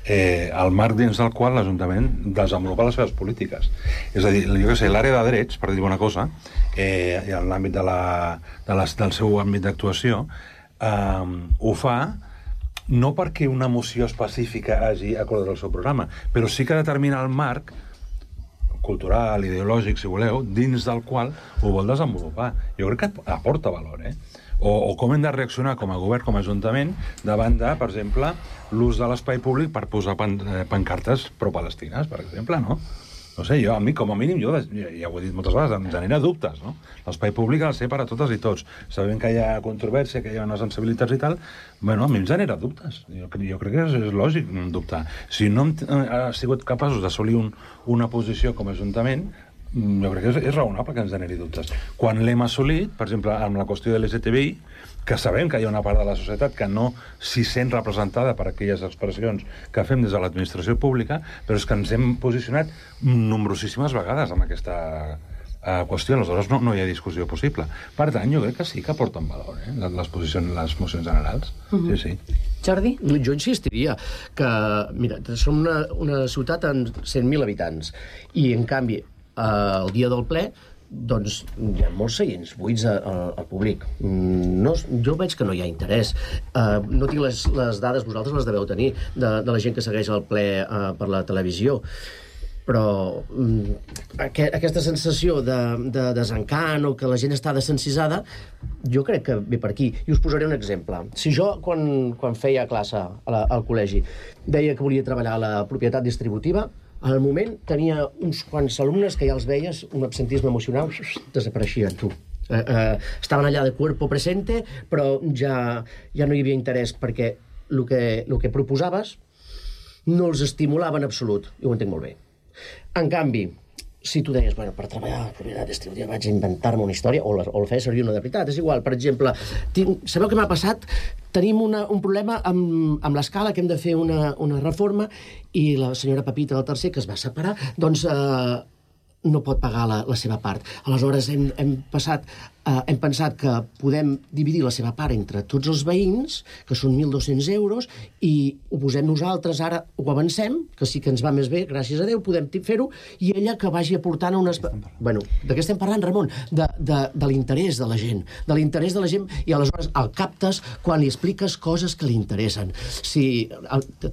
el marc dins del qual l'Ajuntament desenvolupa les seves polítiques. És a dir, jo què sé, l'àrea de drets, per dir una cosa, en l'àmbit del seu àmbit d'actuació, ho fa no perquè una moció específica hagi acordat el seu programa, però sí que determina el marc cultural, ideològic, si voleu, dins del qual ho vol desenvolupar. Jo crec que aporta valor, O com hem de reaccionar com a govern, com a ajuntament, davant de, per exemple, l'ús de l'espai públic per posar pancartes pro-palestines, per exemple, no? No sé, a mi, com a mínim, ja ho he dit moltes vegades, em genera dubtes, no? L'espai públic ha de ser per a totes i tots. Sabem que hi ha controvèrsia, que hi ha unes sensibilitats i tal, a mi em genera dubtes. Jo crec que és lògic dubtar. Si no hem sigut capaços d'assolir una posició com a Ajuntament, jo crec que és raonable que ens generi dubtes. Quan l'hem assolit, per exemple, amb la qüestió de l'LGTBI, que sabem que hi ha una part de la societat que no s'hi sent representada per aquelles expressions que fem des de l'administració pública, però és que ens hem posicionat nombrosíssimes vegades amb aquesta qüestió. Aleshores no hi ha discussió possible. Per tant, jo crec que sí que aporten valor, les mocions generals. Sí. Jordi? Jo insistiria que, mira, som una ciutat amb 100.000 habitants i, en canvi, el dia del ple doncs hi ha molts seients buits al públic. Jo veig que no hi ha interès. No tinc les dades, vosaltres les deveu tenir, de la gent que segueix el ple per la televisió, però aquesta sensació de desencant o que la gent està desencisada, jo crec que ve per aquí. I us posaré un exemple. Si jo, quan feia classe al col·legi, deia que volia treballar a la propietat distributiva, al moment tenia uns quants alumnes que ja els veies, un absentisme emocional, desapareixien, tu. Estaven allà de cuerpo presente, però ja no hi havia interès, perquè el que proposaves no els estimulava en absolut, i ho entenc molt bé. En canvi, si tu deies, bueno, per treballar a la propietat estil, ja vaig a inventar-me una història, o el feia servir una de veritat, és igual. Per exemple, sabeu què m'ha passat? Tenim un problema amb l'escala, que hem de fer una reforma, i la senyora Pepita del tercer, que es va separar, doncs no pot pagar la seva part. Aleshores hem pensat que podem dividir la seva part entre tots els veïns, que són 1.200 euros, i ho posem nosaltres, ara ho avancem, que sí que ens va més bé, gràcies a Déu, podem fer-ho, i ella que vagi aportant unes... Bueno, de què estem parlant, Ramon? De l'interès de la gent. De l'interès de la gent, i aleshores el captes quan li expliques coses que li interessen.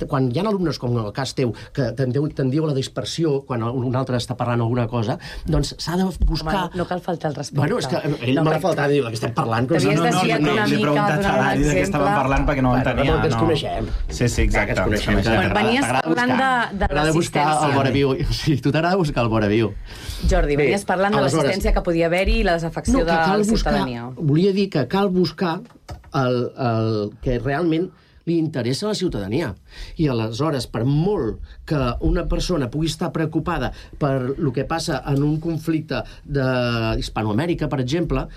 Quan hi ha alumnes, com en el cas teu, que tendiu a la dispersió, quan un altre està parlant alguna cosa, doncs s'ha de buscar... No cal faltar el respecte. Bueno, és que ell m'ha faltat dir que estem parlant. T'havies desviat una mica, preguntat a l'Ari de què estàvem parlant perquè no ho entenia. Que ens coneixem. Sí, exacte. Venies parlant de l'assistència. Sí, tu t'agrada buscar el voraviu. Jordi, venies parlant de l'assistència que podia haver-hi i la desafecció de la ciutadania. Volia dir que cal buscar el que realment li interessa a la ciutadania. I aleshores, per molt que una persona pugui estar preocupada per el que passa en un conflicte d'Hispanoamèrica, per exemple,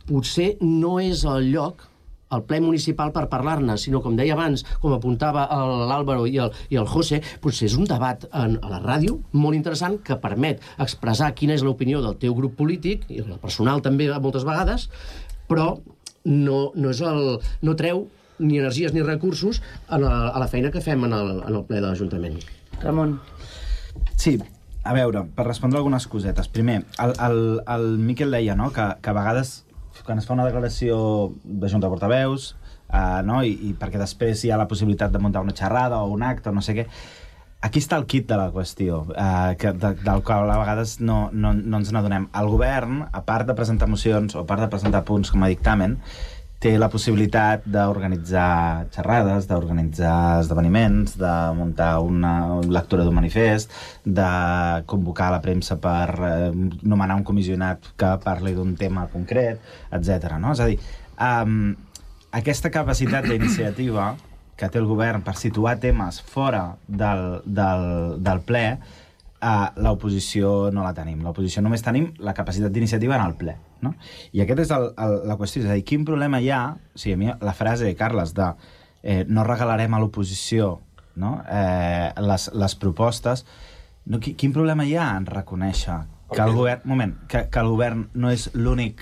potser no és el lloc, el ple municipal, per parlar-ne, sinó, com deia abans, com apuntava l'Àlvaro i el José, potser és un debat a la ràdio molt interessant que permet expressar quina és l'opinió del teu grup polític, i el personal també moltes vegades, però no treu ni energies ni recursos a la feina que fem en el ple de l'Ajuntament. Ramon. Sí, a veure, per respondre algunes cosetes. Primer, el Miquel deia, no?, que a vegades, quan es fa una declaració de Junta de Portaveus, i perquè després hi ha la possibilitat de muntar una xerrada o un acte o no sé què, aquí està el kit de la qüestió, del qual a vegades no ens n'adonem. El govern, a part de presentar mocions o a part de presentar punts com a dictamen, té la possibilitat d'organitzar xerrades, d'organitzar esdeveniments, de muntar una lectura d'un manifest, de convocar la premsa per nomenar un comissionat que parli d'un tema concret, etc. No? És a dir, aquesta capacitat d'iniciativa que té el govern per situar temes fora del ple, l'oposició no la tenim. L'oposició només tenim la capacitat d'iniciativa en el ple. No? I aquesta és la qüestió. És a dir, quin problema hi ha... O sigui, a mi la frase, Carles, de no regalarem a l'oposició les propostes... Quin problema hi ha en reconèixer que el govern... que el govern no és l'únic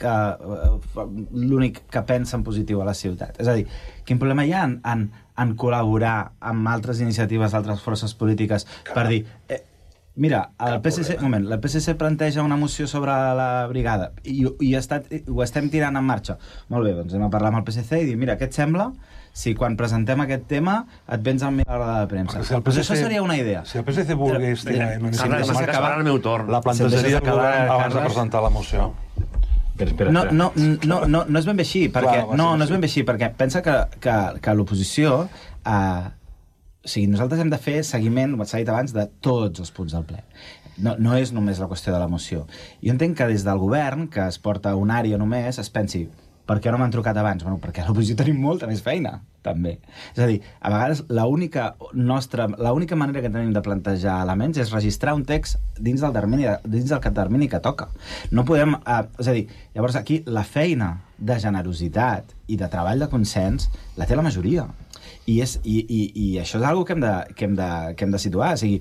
que pensa en positiu a la ciutat? És a dir, quin problema hi ha en col·laborar amb altres iniciatives d'altres forces polítiques per dir... Mira, el PSC planteja una moció sobre la brigada i ho estem tirant en marxa. Molt bé, doncs anem a parlar amb el PSC i dir, mira, què et sembla si quan presentem aquest tema et vens amb mi a l'hora de premsa? Això seria una idea. Si el PSC volgués tirar en el meu torn. la plantejaria el govern abans de presentar la moció. No és ben bé així, no és ben bé així, perquè pensa que l'oposició... O sigui, nosaltres hem de fer seguiment, com s'ha dit abans, de tots els punts del ple. No és només la qüestió de la moció. Jo entenc que des del govern, que es porta una àrea només, es pensi, per què no m'han trucat abans? Bueno, perquè a l'oposició tenim molta més feina, també. És a dir, a vegades l'única manera que tenim de plantejar elements és registrar un text dins del termini que toca. No podem... És a dir, llavors aquí la feina de generositat i de treball de consens la té la majoria. I això és una cosa que hem de situar. O sigui,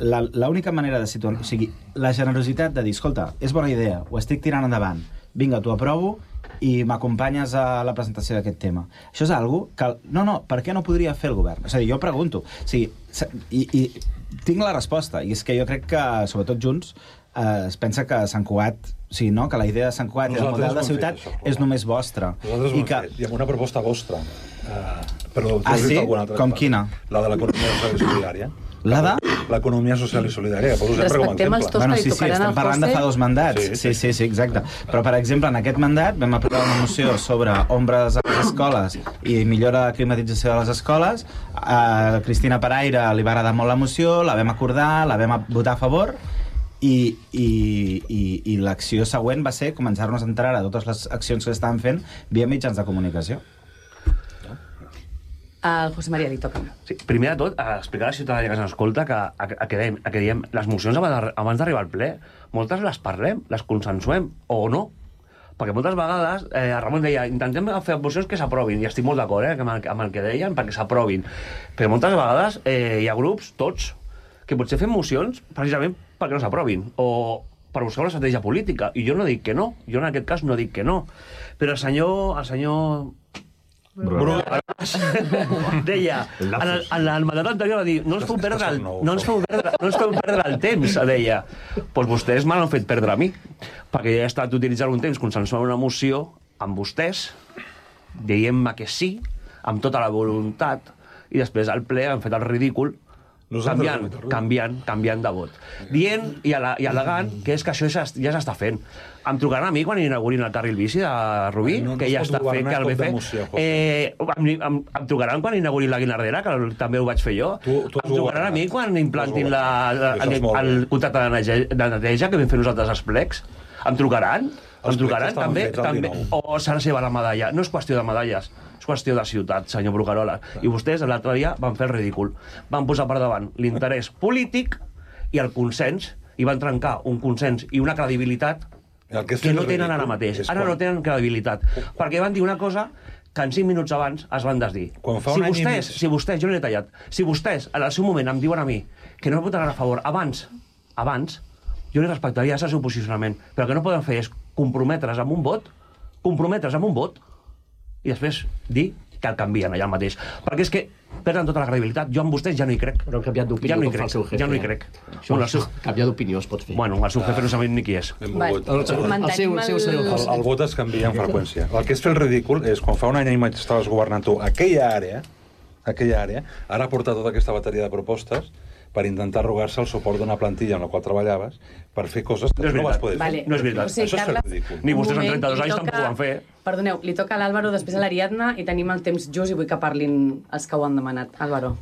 l'única manera de situar... O sigui, la generositat de dir, escolta, és bona idea, ho estic tirant endavant, vinga, t'ho aprovo i m'acompanyes a la presentació d'aquest tema. Això és una cosa que... No, per què no podria fer el govern? És a dir, jo pregunto. O sigui, i tinc la resposta, i és que jo crec que, sobretot Junts, es pensa que Sant Cugat... O sigui, no? Que la idea de Sant Cugat i el model de ciutat és només vostra. Nosaltres ho hem fet, i amb una proposta vostra. Però sí? Com quina? La de l'economia social i solidària. La de? L'economia social i solidària, poso sempre com a exemple. Bueno, sí, estem parlant de fa 2 mandats. Sí, exacte. Però, per exemple, en aquest mandat vam aprovar una moció sobre ombres a les escoles i millora de climatització de les escoles. A Cristina Paraire li va agradar molt la moció, la vam acordar, la vam votar a favor, i l'acció següent va ser començar-nos a enterar de totes les accions que estaven fent via mitjans de comunicació. Al José María li toca. Sí, primer de tot, explicar a la ciutadania que se'ns escolta que diem les mocions abans d'arribar al ple, moltes les parlem, les consensuem, o no. Perquè moltes vegades, Ramon deia, intentem fer mocions que s'aprovin, i estic molt d'acord amb el que deien, perquè s'aprovin. Però moltes vegades hi ha grups, tots, que potser fem mocions precisament perquè no s'aprovin, o per buscar una estratègia política. I jo no dic que no, jo en aquest cas no dic que no. Però el senyor deia, en el mandat anterior va dir, no ens feu perdre el temps, deia. Doncs vostès me l'han fet perdre a mi, perquè ja he estat utilitzant un temps consensuant una moció amb vostès, dient-me que sí, amb tota la voluntat, i després al ple han fet el ridícul, canviant de vot. Dient i al·legant que és que això ja s'està fent. Em trucaran a mi quan inaugurin el carril bici de Rubí, que ja està fent, que el BC. Em trucaran quan inaugurin la Guinardera, que també ho vaig fer jo. Em trucaran a mi quan implantin el contracte de neteja que vam fer nosaltres als plecs. Em trucaran també, o s'ha de ser la medalla. No és qüestió de medalles, és qüestió de ciutat, senyor Bruguerola. I vostès l'altre dia van fer el ridícul. Van posar per davant l'interès polític i el consens, i van trencar un consens i una credibilitat que no tenen ara mateix. Ara no tenen credibilitat. Perquè van dir una cosa que en 5 minuts abans es van desdir. Si vostès, jo l'he tallat, si vostès en el seu moment em diuen a mi que no votaran a favor abans, jo li respectaria el seu posicionament. Però el que no poden fer és comprometre's amb un vot, i després dir que el canvien allà mateix. Perquè és que perden tota la credibilitat. Jo amb vostès ja no hi crec. Però han canviat d'opinió com fa el seu jefe. Ja no hi crec. Canviar d'opinió es pot fer. Bueno, el seu jefe no sabem ni qui és. El vot es canvia amb freqüència. El que és fer el ridícul és quan fa un any i mig estaves governant tu aquella àrea, ara portar tota aquesta bateria de propostes per intentar arrogar-se el suport d'una plantilla en la qual treballaves per fer coses que no vas poder fer. No és veritat. Això és fer ridícul. Ni vostès en 32 anys tampoc ho van fer. Perdoneu, li toca a l'Àlvaro, després a l'Ariadna, i tenim el temps just i vull que parlin els que ho han demanat. Àlvaro.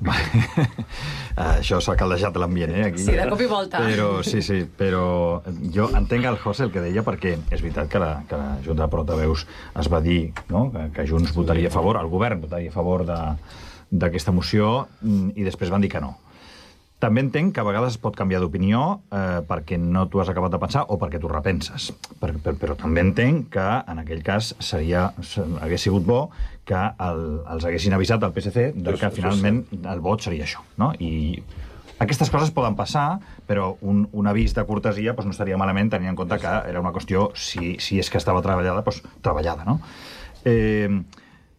Això s'ha caldejat l'ambient, aquí. Sí, de cop i volta. Sí, però jo entenc el José el que deia, perquè és veritat que la Junta de Portaveus es va dir que Junts votaria a favor, el govern votaria a favor d'aquesta moció, i després van dir que no. També entenc que a vegades es pot canviar d'opinió perquè no t'ho has acabat de pensar o perquè t'ho repenses. Però també entenc que en aquell cas hagués sigut bo que els haguessin avisat al PSC que finalment el vot seria això. I aquestes coses poden passar, però un avís de cortesia no estaria malament, tenint en compte que era una qüestió, si és que estava treballada, treballada.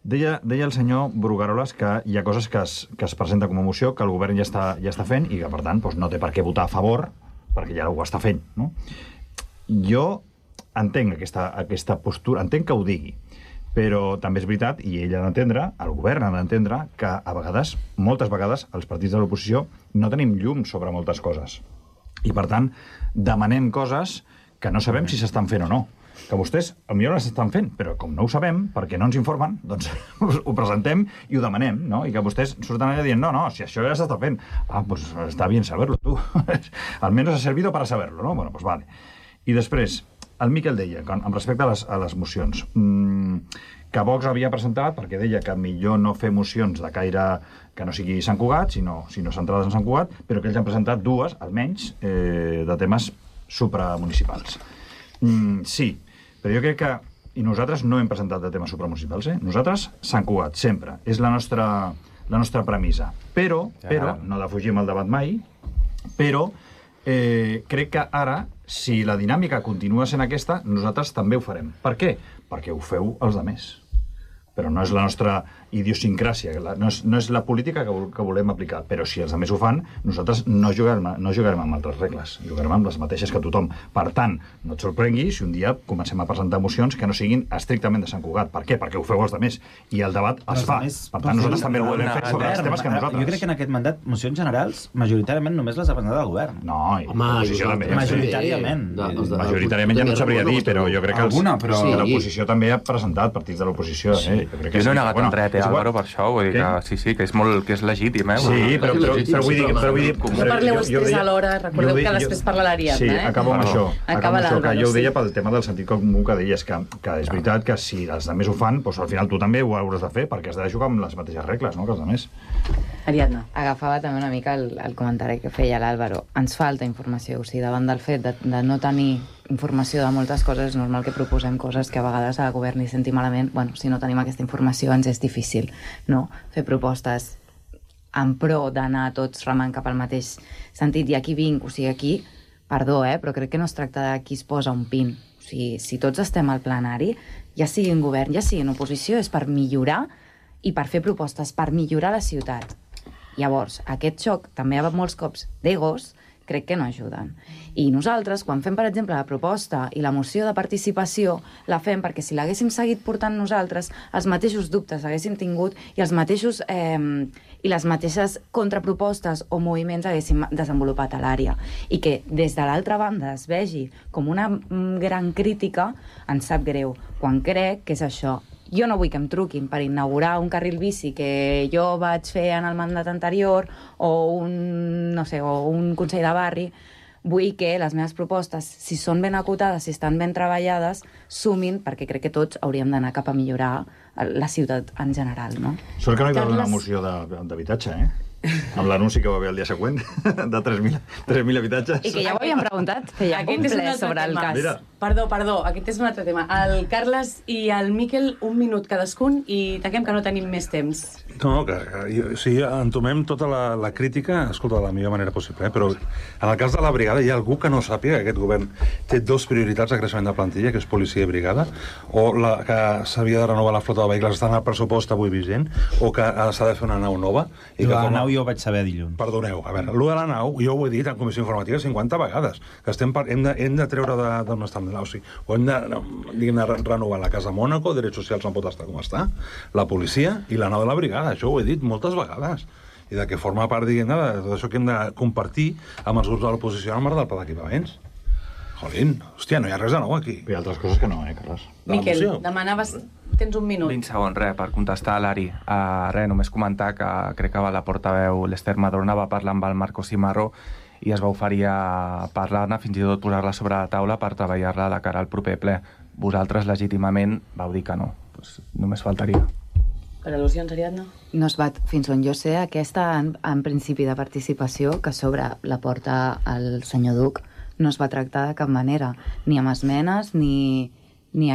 Deia el senyor Brugueroles que hi ha coses que es presenten com a moció, que el govern ja està fent i que, per tant, no té per què votar a favor, perquè ja ho està fent. Jo entenc aquesta postura, entenc que ho digui, però també és veritat, i ell ha d'entendre, el govern ha d'entendre, que a vegades, moltes vegades, els partits de l'oposició no tenim llum sobre moltes coses. I, per tant, demanem coses que no sabem si s'estan fent o no. Que vostès potser no s'estan fent, però com no ho sabem, perquè no ens informen, doncs ho presentem i ho demanem, i que vostès surten allà dient, no, si això ja s'està fent. Pues està bien saberlo, tu. Almenys ha servido para saberlo, no? Bueno, pues vale. I després, el Miquel deia, amb respecte a les mocions, que Vox havia presentat, perquè deia que millor no fer mocions de caire que no sigui Sant Cugat, sinó centrades en Sant Cugat, però que ells han presentat dues, almenys, de temes supramunicipals. Sí, però jo crec que... I nosaltres no hem presentat de temes supramunicipals, Nosaltres, Sant Cugat, sempre. És la nostra premissa. Però, no defugim el debat mai, però crec que ara, si la dinàmica continua sent aquesta, nosaltres també ho farem. Per què? Perquè ho feu els altres. Però no és la nostra idiosincràsia, no és la política que volem aplicar. Però si els altres ho fan, nosaltres no jugarem amb altres regles, jugarem amb les mateixes que tothom. Per tant, no et sorprengui si un dia comencem a presentar mocions que no siguin estrictament de Sant Cugat. Per què? Perquè ho feu els altres. I el debat es fa. Per tant, nosaltres també ho volem fer sobre els temes que nosaltres. Jo crec que en aquest mandat, mocions generals, majoritàriament només les ha presentat el govern. No, l'oposició també. Majoritàriament. Majoritàriament ja no sabria dir, però jo crec que l'oposició també ha presentat partits de l'oposició. Jo no he negat en res, Álvaro, per això, vull dir que sí, que és legítim, Sí, però vull dir... No parleu els tres alhora, recordeu que després parla l'Ariadna, Sí, acabo amb això. Que jo ho deia sí. pel tema del sentit comú que deies, que és veritat que si els altres ho fan, doncs al final tu també ho hauràs de fer, perquè has de jugar amb les mateixes regles, no?, que els altres. Ariadna. Agafava també una mica el comentari que feia l'Àlvaro. Ens falta informació, o sigui, davant del fet de no tenir informació de moltes coses, és normal que proposem coses que a vegades al govern hi senti malament. Bueno, si no tenim aquesta informació ens és difícil, no?, fer propostes en pro d'anar tots remant cap al mateix sentit. I aquí vinc, o sigui, aquí, perdó, però crec que no es tracta de qui es posa un pin. O sigui, si tots estem al plenari, ja sigui en govern, ja sigui en oposició, és per millorar i per fer propostes, per millorar la ciutat. Llavors, aquest xoc també hi ha molts cops d'egos, crec que no ajuden. I nosaltres, quan fem, per exemple, la proposta i la moció de participació, la fem perquè si l'haguéssim seguit portant nosaltres, els mateixos dubtes haguéssim tingut i els mateixos i les mateixes contrapropostes o moviments haguéssim desenvolupat a l'àrea. I que des de l'altra banda es vegi com una gran crítica, ens sap greu, quan crec que és això. Jo no vull que em truquin per inaugurar un carril bici que jo vaig fer en el mandat anterior o un consell de barri. Vull que les meves propostes, si són ben acotades, si estan ben treballades, sumin, perquè crec que tots hauríem d'anar cap a millorar la ciutat en general, no? Sort que no hi va haver una moció d'habitatge, amb l'anunci que va haver el dia següent, de 3.000 habitatges. I que ja ho havíem preguntat, feia un ple sobre el cas. Mira. Perdó, aquest és un altre tema. El Carles i el Miquel, un minut cadascun i tanquem que no tenim més temps. No, sí, entomem tota la crítica, escolta, de la millor manera possible, però en el cas de la brigada hi ha algú que no sàpiga que aquest govern té dues prioritats de creixement de plantilla, que és policia i brigada, o que s'havia de renovar la flota de vehicles, està en el pressupost avui vigent, o que s'ha de fer una nau nova. I la nau jo ho vaig saber dilluns. Perdoneu, a veure, allò de la nau, jo ho he dit en comissió informativa 50 vegades, que hem de treure d'on estem. O sigui, o hem de renovar la Casa Mònaco, drets socials no pot estar com està, la policia i la nau de la brigada, això ho he dit moltes vegades, i de que forma part, diguem-ne, de tot això que hem de compartir amb els grups de l'oposició en el marc del pla d'equipaments. Jolín, hòstia, no hi ha res de nou aquí. Hi ha altres coses que no, Carles. Miquel, demanaves... Tens un minut. 20 segons, per contestar a l'Ari. Només comentar que crec que la portaveu l'Ester Madrona va parlar amb el Marco Cimarro i es va oferir a parlar-ne, fins i tot posar-la sobre la taula per treballar-la de cara al proper ple. Vosaltres, legítimament, vau dir que no. Pues només faltaria. Per al·lusions, Ariadna? No es va, fins on jo sé, aquesta en principi de participació que s'obre la porta al senyor Duc no es va tractar de cap manera, ni amb esmenes ni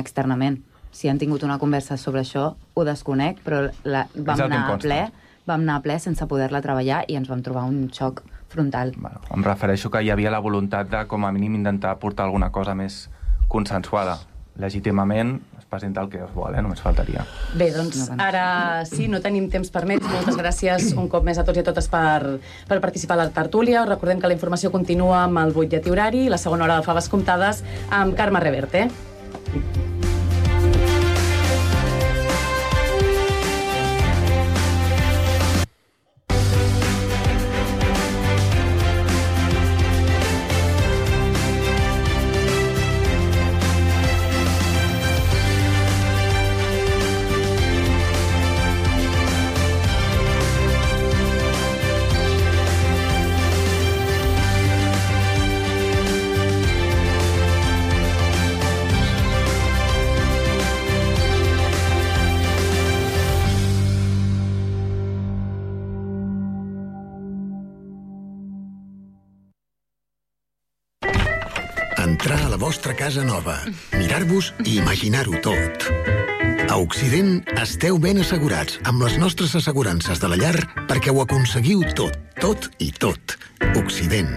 externament. Si han tingut una conversa sobre això, ho desconec, però vam anar a ple sense poder-la treballar i ens vam trobar un xoc frontal. Bueno, em refereixo que hi havia la voluntat de, com a mínim, intentar portar alguna cosa més consensuada. Legítimament es presenta el que es vol, només faltaria. Bé, doncs ara sí, no tenim temps per més. Moltes gràcies un cop més a tots i a totes per participar a la tertúlia. Us recordem que la informació continua amb el butlletí horari i la segona hora de Faves Comptades amb Carme Reverte. Entrar a la vostra casa nova, mirar-vos i imaginar-ho tot. A Occident esteu ben assegurats amb les nostres assegurances de la llar perquè ho aconseguiu tot, tot i tot. Occident.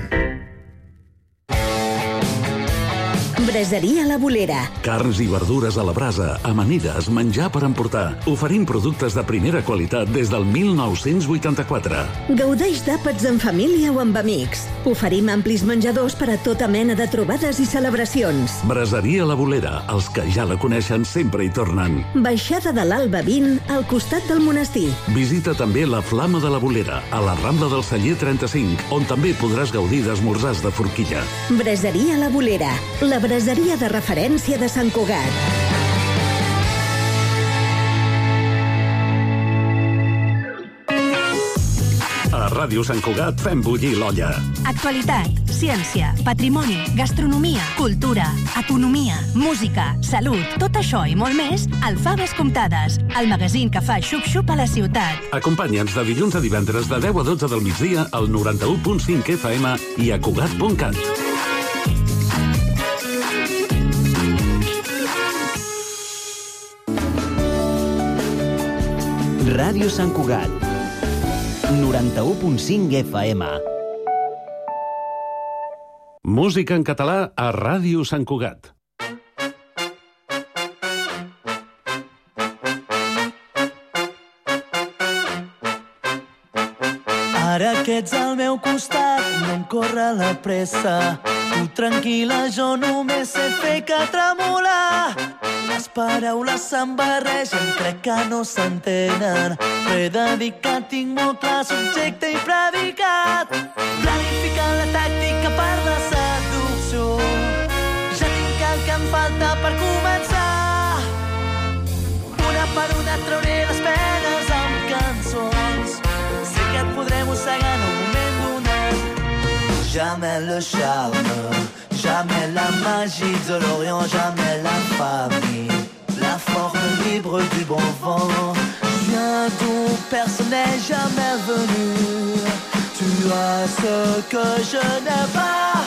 Braseria La Bolera. Carns i verdures a la brasa, amanides, menjar per emportar. Oferim productes de primera qualitat des del 1984. Gaudeix d'àpats en família o amb amics. Oferim amplis menjadors per a tota mena de trobades i celebracions. Braseria La Bolera. Els que ja la coneixen sempre hi tornen. Baixada de l'Alba 20, al costat del monestir. Visita també la Flama de la Bolera, a la Rambla del Celler 35, on també podràs gaudir d'esmorzars de forquilla. Braseria La Bolera. La braseria de referència de Sant Cugat. Ràdio Sant Cugat fem bullir l'olla. Actualitat, ciència, patrimoni, gastronomia, cultura, economia, música, salut, tot això i molt més al Faves Comptades, el magazín que fa xup-xup a la ciutat. Acompanya'ns de dilluns a divendres de 10 a 12 del migdia al 91.5 FM i a Cugat.cat. Ràdio Sant Cugat, 91.5 FM. Música en català a Ràdio Sant Cugat. Ara que ets al meu costat, no em corre la pressa. Tu tranquil·la, jo només sé fer que tremolar. Les paraules se'n barregen, crec que no s'entenen. Però he de dir que tinc molt clar subjecte i predicat. Planificant la tàctica per la seducció. Ja tinc el que em falta per començar. Una per una trauré les penes amb cançons. Sé que et podré mossegar en un moment donat. Jamais le charme, jamais la magie de l'Orient, jamais la famille, la forme libre du bon vent. Je viens d'où personne n'est jamais venu. Tu as ce que je n'ai pas.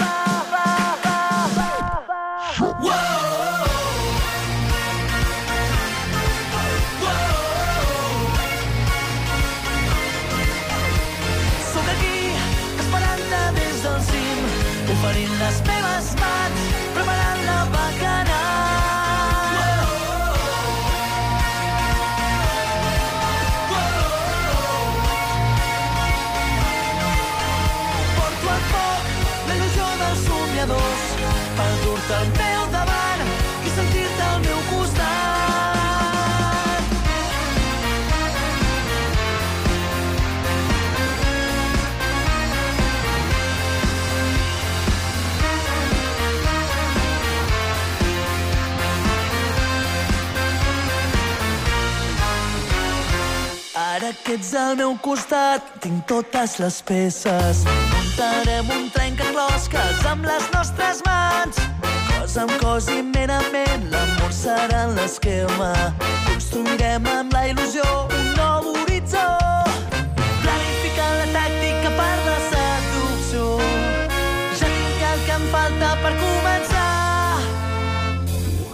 Oferint les meves mans, preparant la bacanal. Porto al foc la il·lusió dels somiadors per dur-te al meu davant i sentir-te al meu costat. Ara que ets al meu costat, tinc totes les peces. Muntarem un trencaclosques amb les nostres mans. Cos amb cos i ment a ment, l'amor serà en l'esquema. Construirem amb la il·lusió un nou horitzó. Planificant la tàctica per la seducció. Ja tinc el que em falta per començar.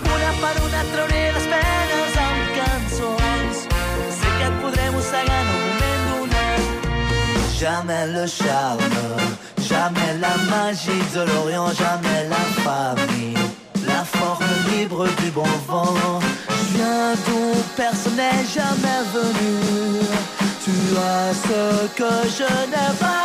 Una per una trauré les penes amb cançons. Sé que et podré mossegar en un moment donat. Jamais le charme, jamais la magie de l'Orient, jamais la famille, la forme libre du bon vent. Je viens d'où personne n'est jamais venu. Tu as ce que je n'ai pas.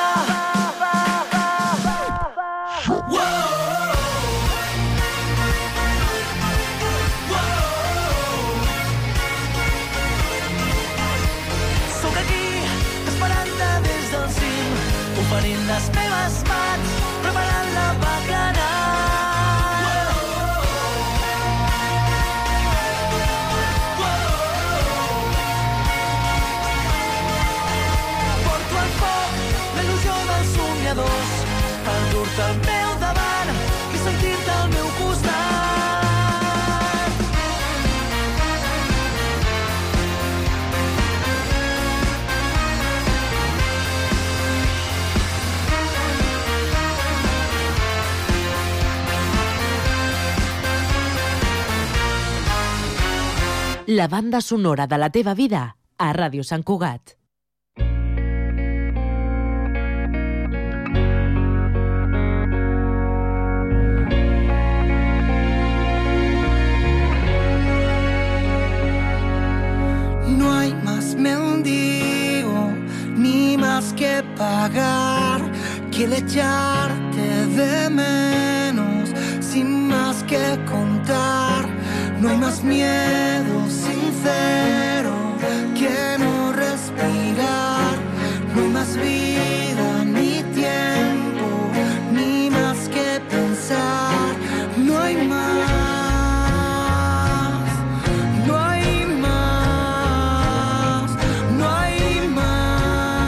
Oferint les meves mans, preparant la bacanal. Porto al foc la il·lusió dels somiadors per dur-te al meu davant i sentir-te al meu costat. La banda sonora de la teva vida a Ràdio Sant Cugat. No hay más mendigo, ni más que pagar, que el echarte de menos, sin más que contar. No hay más miedo sincero que no respirar. No hay más vida, ni tiempo, ni más que pensar. No hay más, no hay más, no hay más,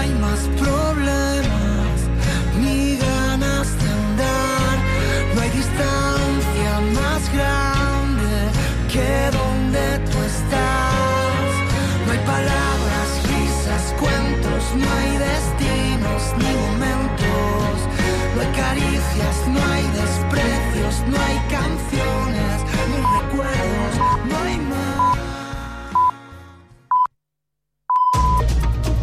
hay más problemas ni ganas de andar. No hay distancia más grande que donde tú estás. No hay palabras, risas, cuentos, no hay destinos ni momentos. No hay caricias, no hay desprecios, no hay canciones.